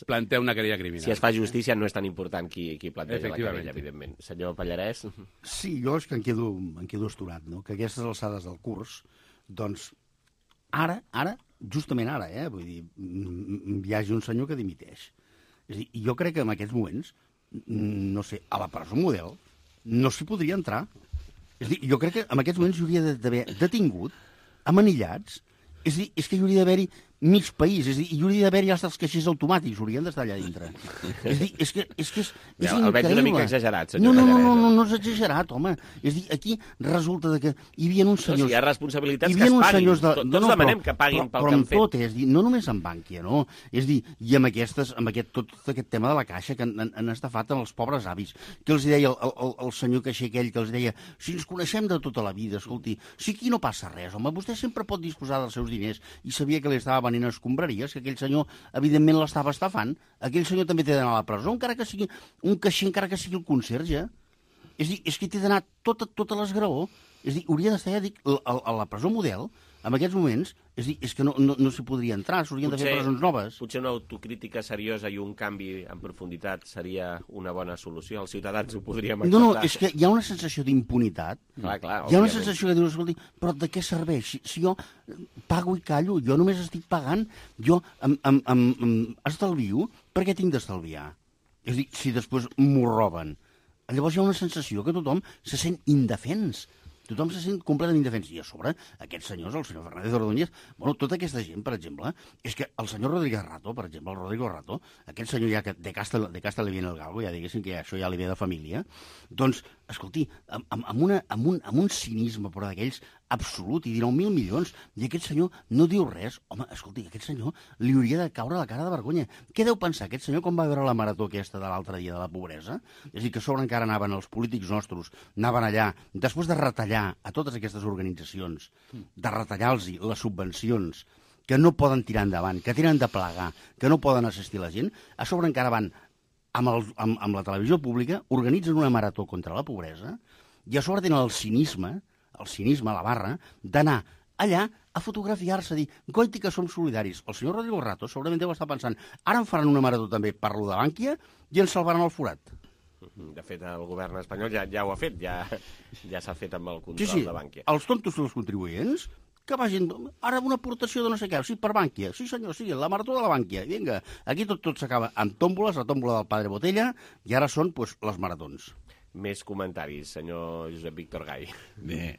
plantea una querella criminal. Si es fa justícia, no és tan important qui planteja la querella, evidentment. Senyor Pallarès? Sí, jo és que em quedo astorat, no? Que a aquestes alçades del curs, doncs, ara, justament ara, vull dir, hi hagi un senyor que dimiteix. És a dir, jo crec que en aquests moments, no sé, a la presó model no s'hi podria entrar. És a dir, jo crec que en aquests moments hi hauria d'haver detingut, amanillats, és a dir, és que hi hauria d'haver-hi mig país, és a dir, hi hauria d'haver-hi els caixers automàtics, haurien d'estar allà dintre. És a dir, és que és increïble. El veig una mica exagerat, senyor Pallarès. No és exagerat, home. És a dir, aquí resulta que hi havia uns senyors... Si hi ha responsabilitats que es paguin. Tots demanem que paguin pel que han fet. Però amb tot, és a dir, no només amb Bànquia, no? És a dir, i amb tot aquest tema de la caixa que han estafat amb els pobres avis, que els deia el senyor caixer aquell, que els deia, si ens coneixem de tota la vida, escolti, si aquí no passa res, home, vostè sempre pot disposar dels seus diners, i sabia que li estava venint a escombraries, que aquell senyor, evidentment, l'estava estafant. Aquell senyor també té d'anar a la presó, encara que sigui un caixer, encara que sigui el conserge. És a dir, és que té d'anar tota l'esgraó. És a dir, hauria d'estar, ja dic, a la presó model, en aquests moments, és que no s'hi podria entrar, s'haurien de fer presons noves. Potser una autocrítica seriosa i un canvi en profunditat seria una bona solució. Els ciutadans ho podríem acceptar. No, és que hi ha una sensació d'impunitat. Clar, hi ha una sensació que dius, escolti, però de què serveix? Si jo pago i callo, jo només estic pagant, jo estalvio, per què tinc d'estalviar? És a dir, si després m'ho roben. Llavors hi ha una sensació que tothom se sent indefens. Tothom se sent completament indefens. I a sobre, aquests senyors, el senyor Fernández Ordóñez, bueno, tota aquesta gent, per exemple, és que el senyor Rodríguez Rato, per exemple, el Rodrigo Rato, aquest senyor ja que de casta li viene el galgo, ja diguéssim que això ja li ve de família, doncs, escolti, amb un cinisme, però d'aquells absolut, i 19.000 milions, i aquest senyor no diu res. Home, escolti, aquest senyor li hauria de caure la cara de vergonya. Què deu pensar aquest senyor quan va veure la marató aquesta de l'altre dia de la pobresa? És a dir, que a sobre encara anaven els polítics nostres, anaven allà, després de retallar a totes aquestes organitzacions, de retallar-los les subvencions, que no poden tirar endavant, que tenen de plegar, que no poden assistir la gent, a sobre encara van amb la televisió pública, organitzen una marató contra la pobresa, i a sobre tenen el cinisme, la barra, d'anar allà a fotografiar-se, a dir, goiti que som solidaris. El senyor Rodrigo Rato segurament deu estar pensant, ara em faran una marató també per lo de Bànquia i ens salvaran el forat. De fet, el govern espanyol ja ho ha fet, ja s'ha fet amb el control de Bànquia. Els tontos dels contribuents que vagin, ara una aportació de no sé què, sí, per Bànquia, sí senyor, sí, la marató de la Bànquia, vinga, aquí tot s'acaba amb tòmboles, la tòmbola del Padre Botella, i ara són, pues, les maratons. Més comentaris, senyor Josep Víctor Gai. Bé,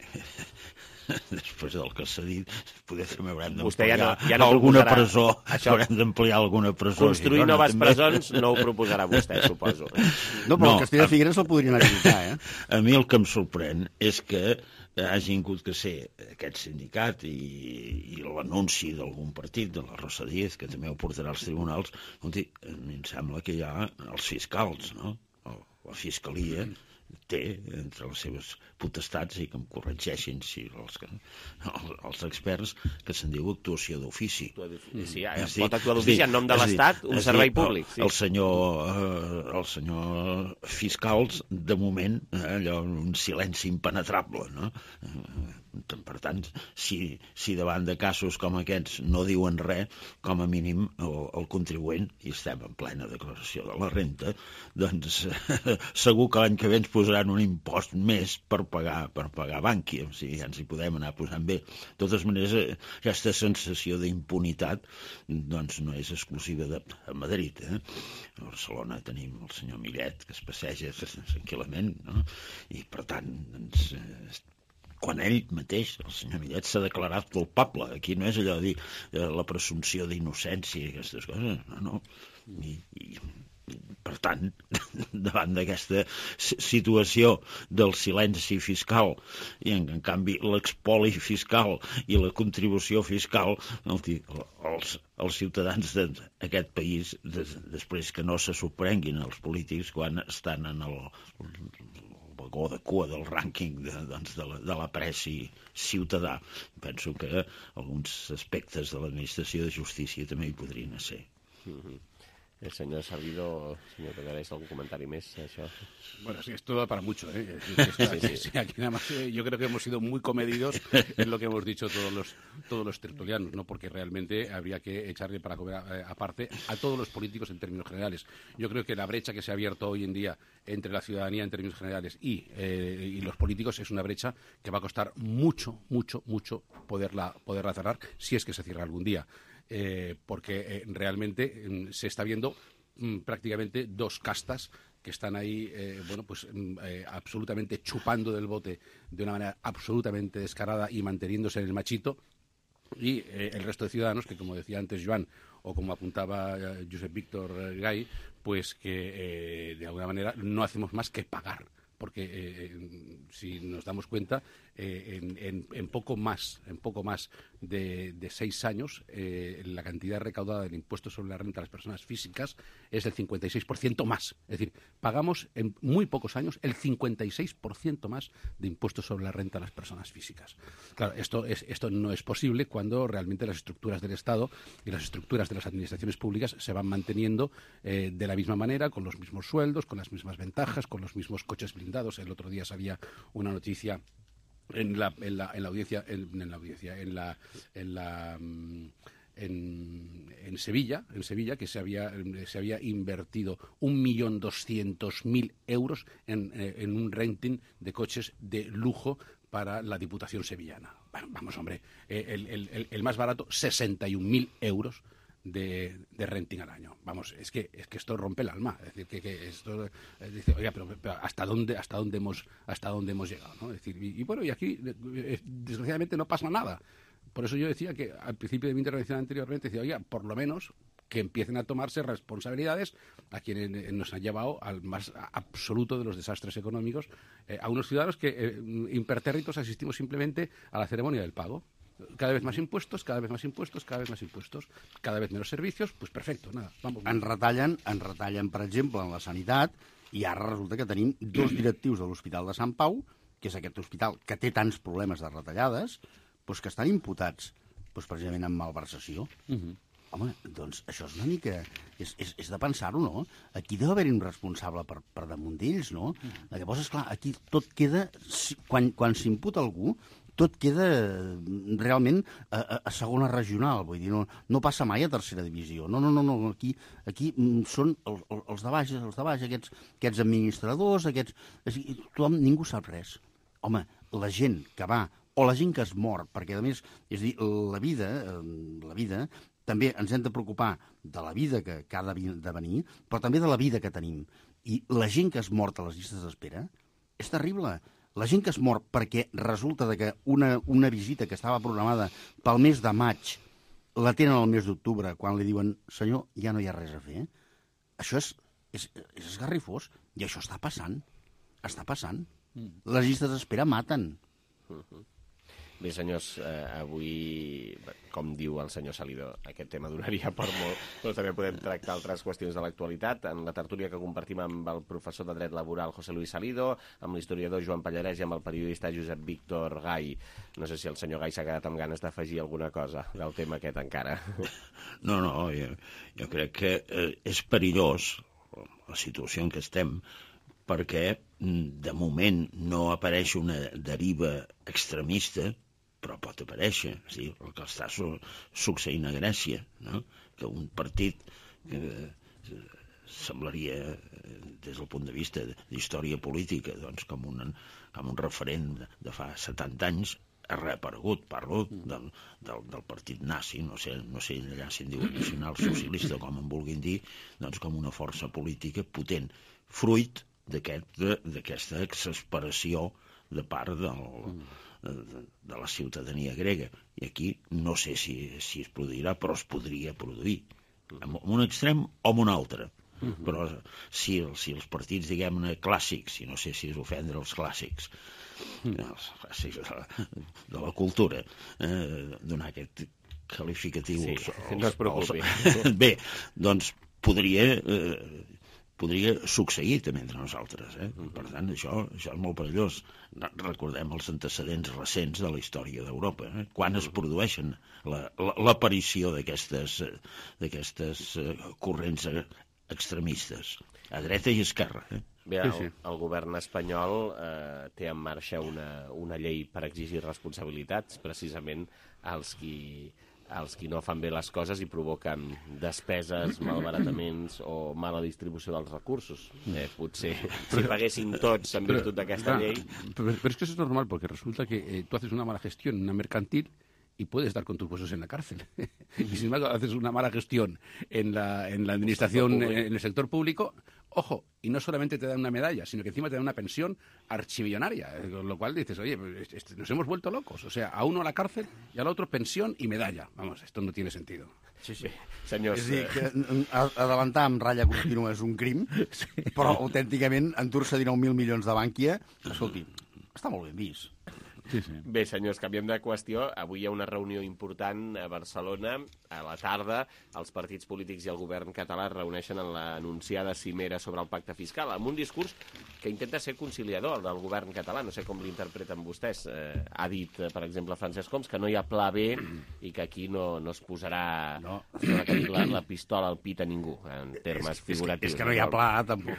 després del que s'ha dit, poder fer m'haurem d'ampliar alguna presó. Haurem d'ampliar alguna presó. Construir noves presons no ho proposarà vostè, suposo. No, però el Castell de Figueres el podrien habilitar, A mi el que em sorprèn és que hagi hagut que ser aquest sindicat i l'anunci d'algun partit, de la Rosa Díez, que també ho portarà als tribunals. A mi em sembla que hi ha els fiscals, no? La Fiscalia, té entre les seves potestats, i que em corregeixin si els experts, que se'n diu actuació d'ofici. Sí, pot actuar d'ofici en nom de l'Estat, un servei públic. El senyor fiscals, de moment, allò, un silenci impenetrable, no? Per tant, si davant de casos com aquests no diuen res, com a mínim el contribuent, i estem en plena declaració de la renta, doncs segur que l'any que ve ens posaran un impost més per pagar Bankia, o sigui, ja ens hi podem anar posant bé. De totes maneres, aquesta sensació d'impunitat doncs no és exclusiva de Madrid. A Barcelona tenim el senyor Millet, que es passeja tranquil·lament, no? I per tant, doncs, quan ell mateix, el senyor Millet, s'ha declarat culpable. Aquí no és allò de dir la presumpció d'innocència i aquestes coses, no. I per tant, davant d'aquesta situació del silenci fiscal i en canvi l'expoli fiscal i la contribució fiscal, els ciutadans d'aquest país, després que no se sorprenguin els polítics quan estan en el vagó de cua del rànquing de l'apreci ciutadà. Penso que alguns aspectes de l'administració de justícia també hi podrien ser. El señor Servidor, señor Pegares, ¿algún comentario más? Bueno, sí, esto da para mucho, ¿eh? Sí, aquí nada más, yo creo que hemos sido muy comedidos en lo que hemos dicho todos los tertulianos, ¿no? Porque realmente habría que echarle para comer aparte a todos los políticos en términos generales. Yo creo que la brecha que se ha abierto hoy en día entre la ciudadanía en términos generales y los políticos es una brecha que va a costar mucho poderla cerrar, si es que se cierra algún día. Porque realmente se está viendo prácticamente dos castas que están ahí, absolutamente chupando del bote de una manera absolutamente descarada y manteniéndose en el machito, y el resto de ciudadanos que, como decía antes Joan, o como apuntaba Josep Víctor Gay, pues que de alguna manera no hacemos más que pagar. Porque si nos damos cuenta, en poco más de 6 años, la cantidad recaudada del impuesto sobre la renta de las personas físicas es del 56% más. Es decir, pagamos en muy pocos años el 56% más de impuestos sobre la renta de las personas físicas. Claro, esto no es posible cuando realmente las estructuras del Estado y las estructuras de las administraciones públicas se van manteniendo de la misma manera, con los mismos sueldos, con las mismas ventajas, con los mismos coches blindados. El otro día salía una noticia en Sevilla, que se había invertido 1.200.000 euros en un renting de coches de lujo para la Diputación sevillana. Bueno, vamos, hombre, el más barato, 61.000 euros de renting al año. Vamos, es que esto rompe el alma. Es decir, que esto dice, oiga, pero ¿hasta dónde hemos llegado, ¿no? Es decir, y bueno, y aquí desgraciadamente no pasa nada. Por eso yo decía que al principio de mi intervención anteriormente, decía, oiga, por lo menos que empiecen a tomarse responsabilidades a quienes nos han llevado al más absoluto de los desastres económicos, a unos ciudadanos que impertérritos asistimos simplemente a la ceremonia del pago. Cada vez más impuestos, cada vez más impuestos, cada vez más impuestos, cada vez menos servicios, pues perfecto, nada, vamos. Ens retallen, per exemple, en la sanitat, i ara resulta que tenim 2 directius de l'Hospital de Sant Pau, que és aquest hospital que té tants problemes de retallades, doncs que estan imputats precisament en malversació. Home, doncs això és una mica... És de pensar-ho, no? Aquí deu haver-hi un responsable per damunt d'ells, no? Llavors, esclar, aquí tot queda... Quan s'imputa algú, tot queda realment a segona regional, vull dir, no passa mai a tercera divisió. No, aquí són els de baix, aquests administradors, tothom, ningú sap res. Home, la gent que va, o la gent que es mor, perquè a més, és a dir, la vida, també ens hem de preocupar de la vida que ha de venir, però també de la vida que tenim. I la gent que es mort a les llistes d'espera és terrible. La gent que es mor perquè resulta que una visita que estava programada pel mes de maig la tenen al mes d'octubre, quan li diuen, senyor, ja no hi ha res a fer. Això és esgarrifós, i això està passant. Les llistes d'espera maten. Bé, senyors, avui, com diu el senyor Salido, aquest tema donaria per molt, però també podem tractar altres qüestions de l'actualitat. En la tertúlia que compartim amb el professor de dret laboral José Luis Salido, amb l'historiador Joan Pallarès i amb el periodista Josep Víctor Gai. No sé si el senyor Gai s'ha quedat amb ganes d'afegir alguna cosa del tema aquest encara. No, jo crec que és perillós la situació en què estem, perquè de moment no apareix una deriva extremista, però pot aparèixer. Sí, el que està succeint a Grècia, no? Que un partit que semblaria, des del punt de vista d'història política, doncs, com un referent de fa 70 anys, ha reaparegut. Parlo del partit nazi, no sé allà si en diuen nacional socialista, com en vulguin dir, doncs com una força política potent, fruit d'aquesta exasperació de part de la ciutadania grega. I aquí no sé si es produirà, però es podria produir. En un extrem o en un altre. Però si els partits, diguem-ne, clàssics, i no sé si és ofendre els clàssics, els clàssics de la cultura, donar aquest qualificatiu... Sí, no es preocupi. Bé, doncs podria succeir també entre nosaltres. Per tant, això és molt perillós. Recordem els antecedents recents de la història d'Europa, quan es produeixen l'aparició d'aquestes corrents extremistes, a dreta i esquerra. Bé, el govern espanyol té en marxa una llei per exigir responsabilitats, precisament als qui no fan bé les coses i provoquen despeses, malbarataments o mala distribució dels recursos. Potser si paguessin tots en virtut d'aquesta llei... Pero es que eso es normal, porque resulta que tú haces una mala gestión en una mercantil y puedes dar con tus huesos en la cárcel. Y sin embargo, haces una mala gestión en la administración, en el sector público, ojo, y no solamente te dan una medalla, sino que encima te dan una pensión archimillonaria, con lo cual dices, oye, nos hemos vuelto locos. O sea, a uno a la cárcel y al otro pensión y medalla. Vamos, esto no tiene sentido. Sí. Senyors... És a dir, que adelantar amb ratlla contínua és un crim, però autènticament endur-se 19.000 milions de Bànquia, escolti, està molt ben vist. Bé, senyors, canviem de qüestió. Avui hi ha una reunió important a Barcelona. A la tarda, els partits polítics i el govern català es reuneixen en l'anunciada cimera sobre el pacte fiscal, amb un discurs que intenta ser conciliador, el del govern català. No sé com l'interpreten vostès. Ha dit, per exemple, Francesc Homs, que no hi ha pla B i que aquí no es posarà la pistola al pit a ningú, en termes figuratius. És que no hi ha pla, tampoc.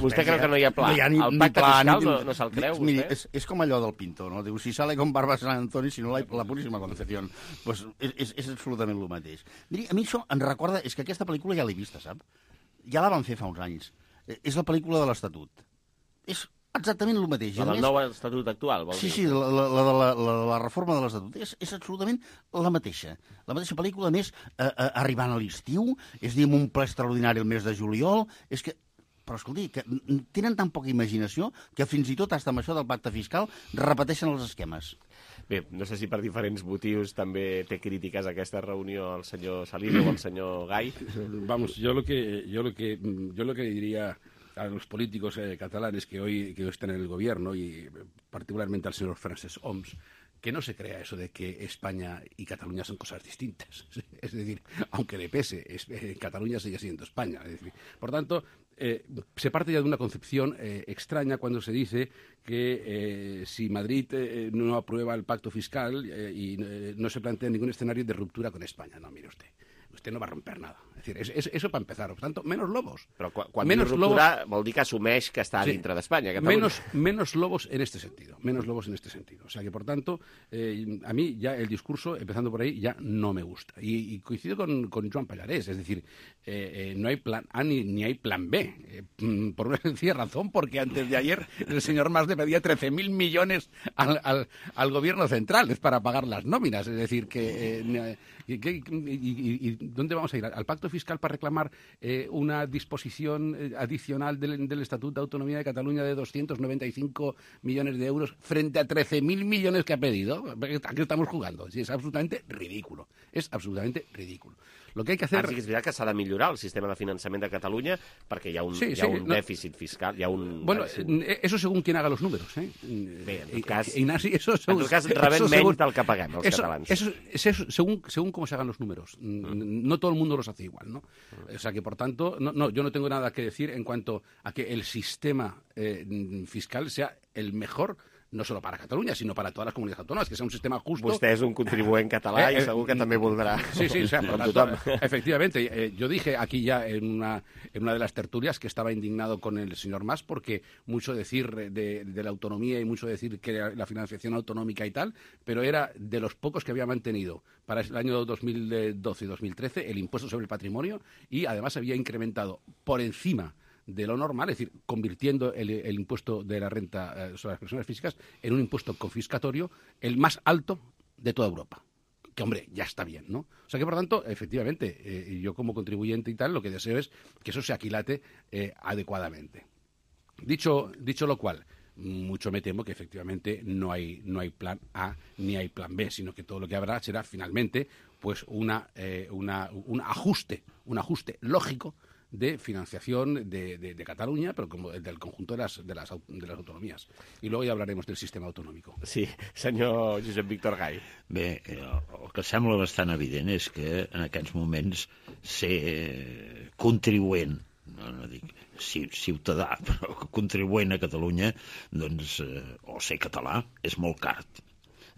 Vostè creu que no hi ha pla? El pacte fiscal no se'l creu, vostè? És com allò del Pinto, ¿no? Diu, si sale con barba San Antonio, si no la Purísima Concepción. Pues és absolutament el mateix. Miri, a mi això em recorda... És que aquesta pel·lícula ja l'he vista, sap? Ja la van fer fa uns anys. És la pel·lícula de l'Estatut. És exactament el mateix. La del nou Estatut actual, vol dir? Sí, la reforma de l'Estatut. És absolutament la mateixa. La mateixa pel·lícula, a més, arribant a l'estiu, és a dir, amb un ple extraordinari el mes de juliol, és que... Però, escolti, que tenen tan poca imaginació que fins i tot, hasta amb això del pacte fiscal, repeteixen els esquemes. Bé, no sé si per diferents motius també té crítiques a aquesta reunió el senyor Salido o el senyor Gai. Vamos, yo lo que diría a los políticos catalanes que hoy están en el gobierno, y particularmente al señor Francesc Homs, que no se crea eso de que España y Cataluña son cosas distintas. Es decir, aunque le pese, Cataluña sigue siendo España. Es decir, por tanto, se parte ya de una concepción extraña cuando se dice que si Madrid no aprueba el pacto fiscal y no se plantea ningún escenario de ruptura con España. No, mire usted no va a romper nada. Es decir, eso para empezar. Por tanto, menos lobos. Però quan diu ruptura vol dir que assumeix que està dintre d'Espanya. Menos lobos en este sentido. Menos lobos en este sentido. O sea que, por tanto, a mí ya el discurso, empezando por ahí, ya no me gusta. Y coincido con Joan Pallarès. Es decir, no hay plan A ni hay plan B. Por una sencilla razón, porque antes de ayer el señor Mas le pedía 13.000 millones al gobierno central para pagar las nóminas. Es decir, y ¿dónde vamos a ir? ¿Al pacto fiscal para reclamar una disposición adicional del Estatuto de Autonomía de Cataluña de 295 millones de euros frente a 13.000 millones que ha pedido? ¿A qué estamos jugando? Sí, es absolutamente ridículo. Es absolutamente ridículo. Lo que hay que hacer... Ara sí que és veritat que s'ha de millorar el sistema de finançament de Catalunya perquè hi ha un dèficit fiscal, hi ha un... Bueno, eso según quien haga los números, ¿eh? Bé, en tot cas, Ignaci, eso según, en tot cas rebem menys del que paguem els catalans. Eso según cómo se hagan los números. No todo el mundo los hace igual, ¿no? O sea que, por tanto, yo no tengo nada que decir en cuanto a que el sistema fiscal sea el mejor, no solo para Catalunya, sinó para totes les comunitats autònomes, que sea un sistema justo. Vostè és un contribuent català i segur que també voldrà. Sí, o sea, por tanto, efectivamente. Yo dije aquí ya en una de las tertulias que estaba indignado con el señor Mas porque mucho decir de la autonomía y mucho decir que la financiación autonómica y tal, pero era de los pocos que había mantenido para el año 2012 y 2013 el impuesto sobre el patrimonio y además había incrementado por encima de lo normal, es decir, convirtiendo el impuesto de la renta sobre las personas físicas en un impuesto confiscatorio el más alto de toda Europa. Que, hombre, ya está bien, ¿no? O sea que, por tanto, efectivamente, yo como contribuyente y tal, lo que deseo es que eso se aquilate adecuadamente. Dicho lo cual, mucho me temo que efectivamente no hay plan A ni hay plan B, sino que todo lo que habrá será finalmente pues un ajuste lógico de financiación de Catalunya, però com del conjunt de les autonomies. I luego ja hablaremos del sistema autonòmic. Sí, senyor Josep Víctor Gai. Bé, el que sembla bastant evident és que en aquests moments ser contribuent, no dic ciutadà, però contribuent a Catalunya, doncs, o ser català, és molt car.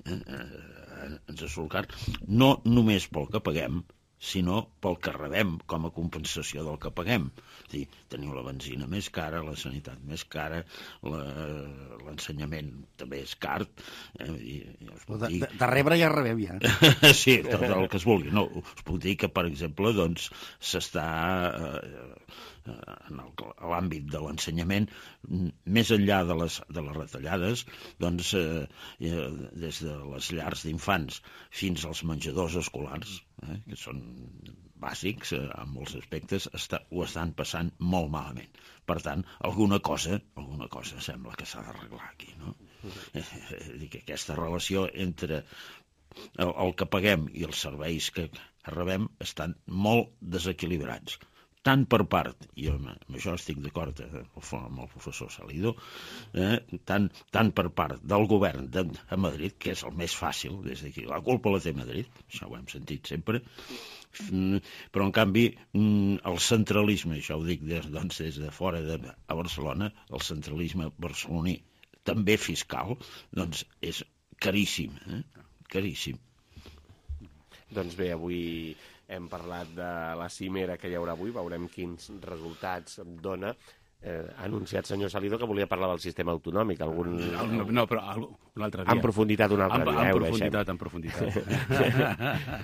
Ens surt car. No només pel que paguem, sinó pel que rebem com a compensació del que paguem. És dir, teniu la benzina més cara, la sanitat més cara, l'ensenyament també és car. De rebre ja rebem, ja. Sí, tot el que es vulgui. No, us puc dir que, per exemple, doncs, s'està en l'àmbit de l'ensenyament, més enllà de les retallades, doncs, des de les llars d'infants fins als menjadors escolars, que són bàsics en molts aspectes, ho estan passant molt malament. Per tant, alguna cosa sembla que s'ha d'arreglar aquí, no? Que aquesta relació entre el que paguem i els serveis que rebem estan molt desequilibrats. Tant per part, i amb això estic d'acord amb el professor Salido, tant per part del govern de Madrid, que és el més fàcil, des d'aquí, la culpa la té Madrid, això ho hem sentit sempre, però en canvi el centralisme, això ho dic des de fora a Barcelona, el centralisme barceloní, també fiscal, doncs és caríssim, caríssim. Doncs bé, avui hem parlat de la cimera que hi haurà avui, veurem quins resultats dona. Ha anunciat, senyor Salido, que volia parlar del sistema autonòmic. No, però un altre dia. En profunditat un altre dia. En profunditat.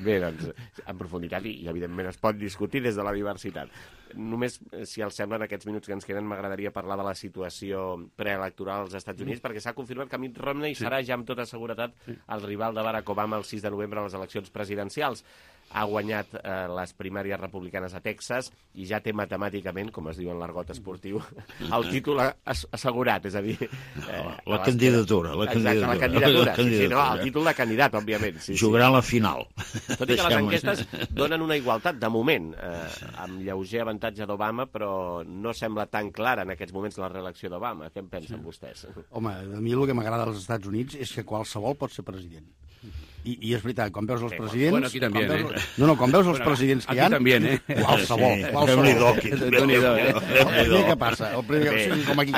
Bé, doncs, en profunditat i evidentment es pot discutir des de la diversitat. Només, si els sembla, en aquests minuts que ens queden, m'agradaria parlar de la situació preelectoral als Estats Units, perquè s'ha confirmat que Mitt Romney serà ja amb tota seguretat el rival de Barack Obama el 6 de novembre a les eleccions presidencials. Ha guanyat les primàries republicanes a Texas i ja té matemàticament, com es diu en l'argot esportiu, el títol assegurat, és a dir... La candidatura. Exacte, la candidatura. Sí, no, el títol de candidat, òbviament. Jugarà a la final. Tot i que les enquestes donen una igualtat, de moment, amb lleuger avantatge d'Obama, però no sembla tan clara en aquests moments la reelecció d'Obama. Què en pensen vostès? Home, a mi el que m'agrada dels Estats Units és que qualsevol pot ser president. I és veritat, quan veus els presidents... Bueno, aquí també, quan veus els presidents que hi ha... Aquí també, Qualsevol. Què passa?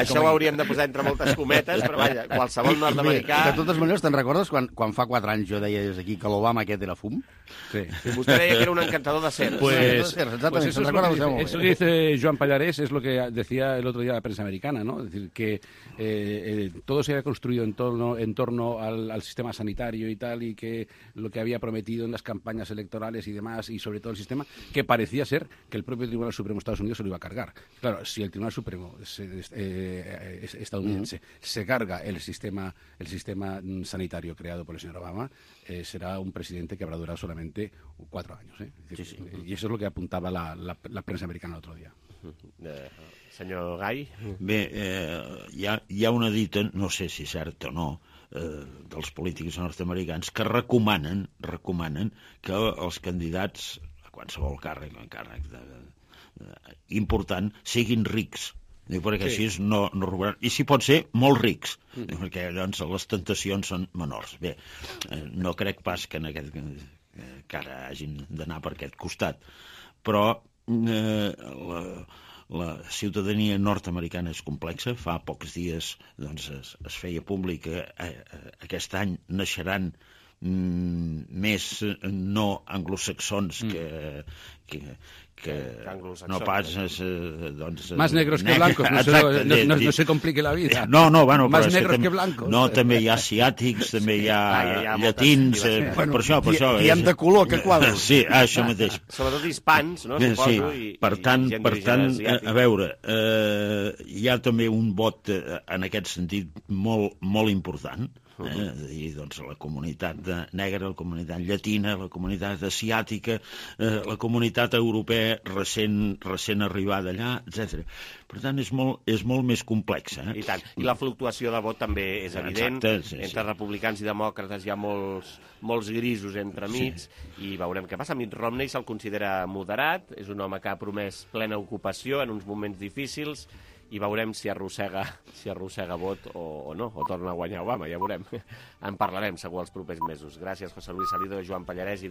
Això ho hauríem de posar entre moltes cometes, però vaja, qualsevol nord-americà... De totes maneres, te'n recordes quan fa 4 anys jo deia des aquí que l'Obama aquest era fum? Sí. Vostè deia que era un encantador de cers. Exactamente, se'n recorda vostè molt bé. Eso que dice Joan Pallarés es lo que decía el otro día la prensa americana, ¿no? Es decir, que todo se había construido en torno al sistema sanitario y tal, y que lo que había prometido en las campañas electorales y demás, y sobre todo el sistema, que parecía ser que el propio Tribunal Supremo de Estados Unidos se lo iba a cargar. Claro, si el Tribunal Supremo estadounidense se carga el sistema sanitario creado por el señor Obama, será un presidente que habrá durado solamente 4 años. Y eso es lo que apuntaba la prensa americana el otro día. Senyor Gai? Bé, hi ha una dita, no sé si cert o no, dels polítics nord-americans que recomanen que els candidats a qualsevol càrrec important siguin rics, perquè així no robaran, i si pot ser molt rics, perquè llavors les tentacions són menors. Bé, no crec pas que que ara hagin d'anar per aquest costat, però la ciutadania nord-americana és complexa. Fa pocs dies es feia públic que aquest any naixeran més no anglosaxons que no pas más negros que blancos, no se complique la vida. Bueno, más negros que blancos. No, també hi ha asiàtics, també hi ha llatins, per això. I hem de color, que quadres. Sí, això mateix. Sobretot hispans, no? Sí, per tant, a veure, hi ha també un vot en aquest sentit molt important, la comunitat negra, la comunitat llatina, la comunitat asiàtica, la comunitat europea recent arribada allà, etc. Per tant, és molt més complexa. I tant. I la fluctuació de vot també és evident. Entre republicans i demòcrates hi ha molts grisos entremig, i veurem què passa. Mitt Romney se'l considera moderat, és un home que ha promès plena ocupació en uns moments difícils, i veurem si arrossega vot o no, o torna a guanyar Obama, ja veurem. En parlarem segur els propers mesos. Gràcies, José Luis Salido, Joan Pallarès i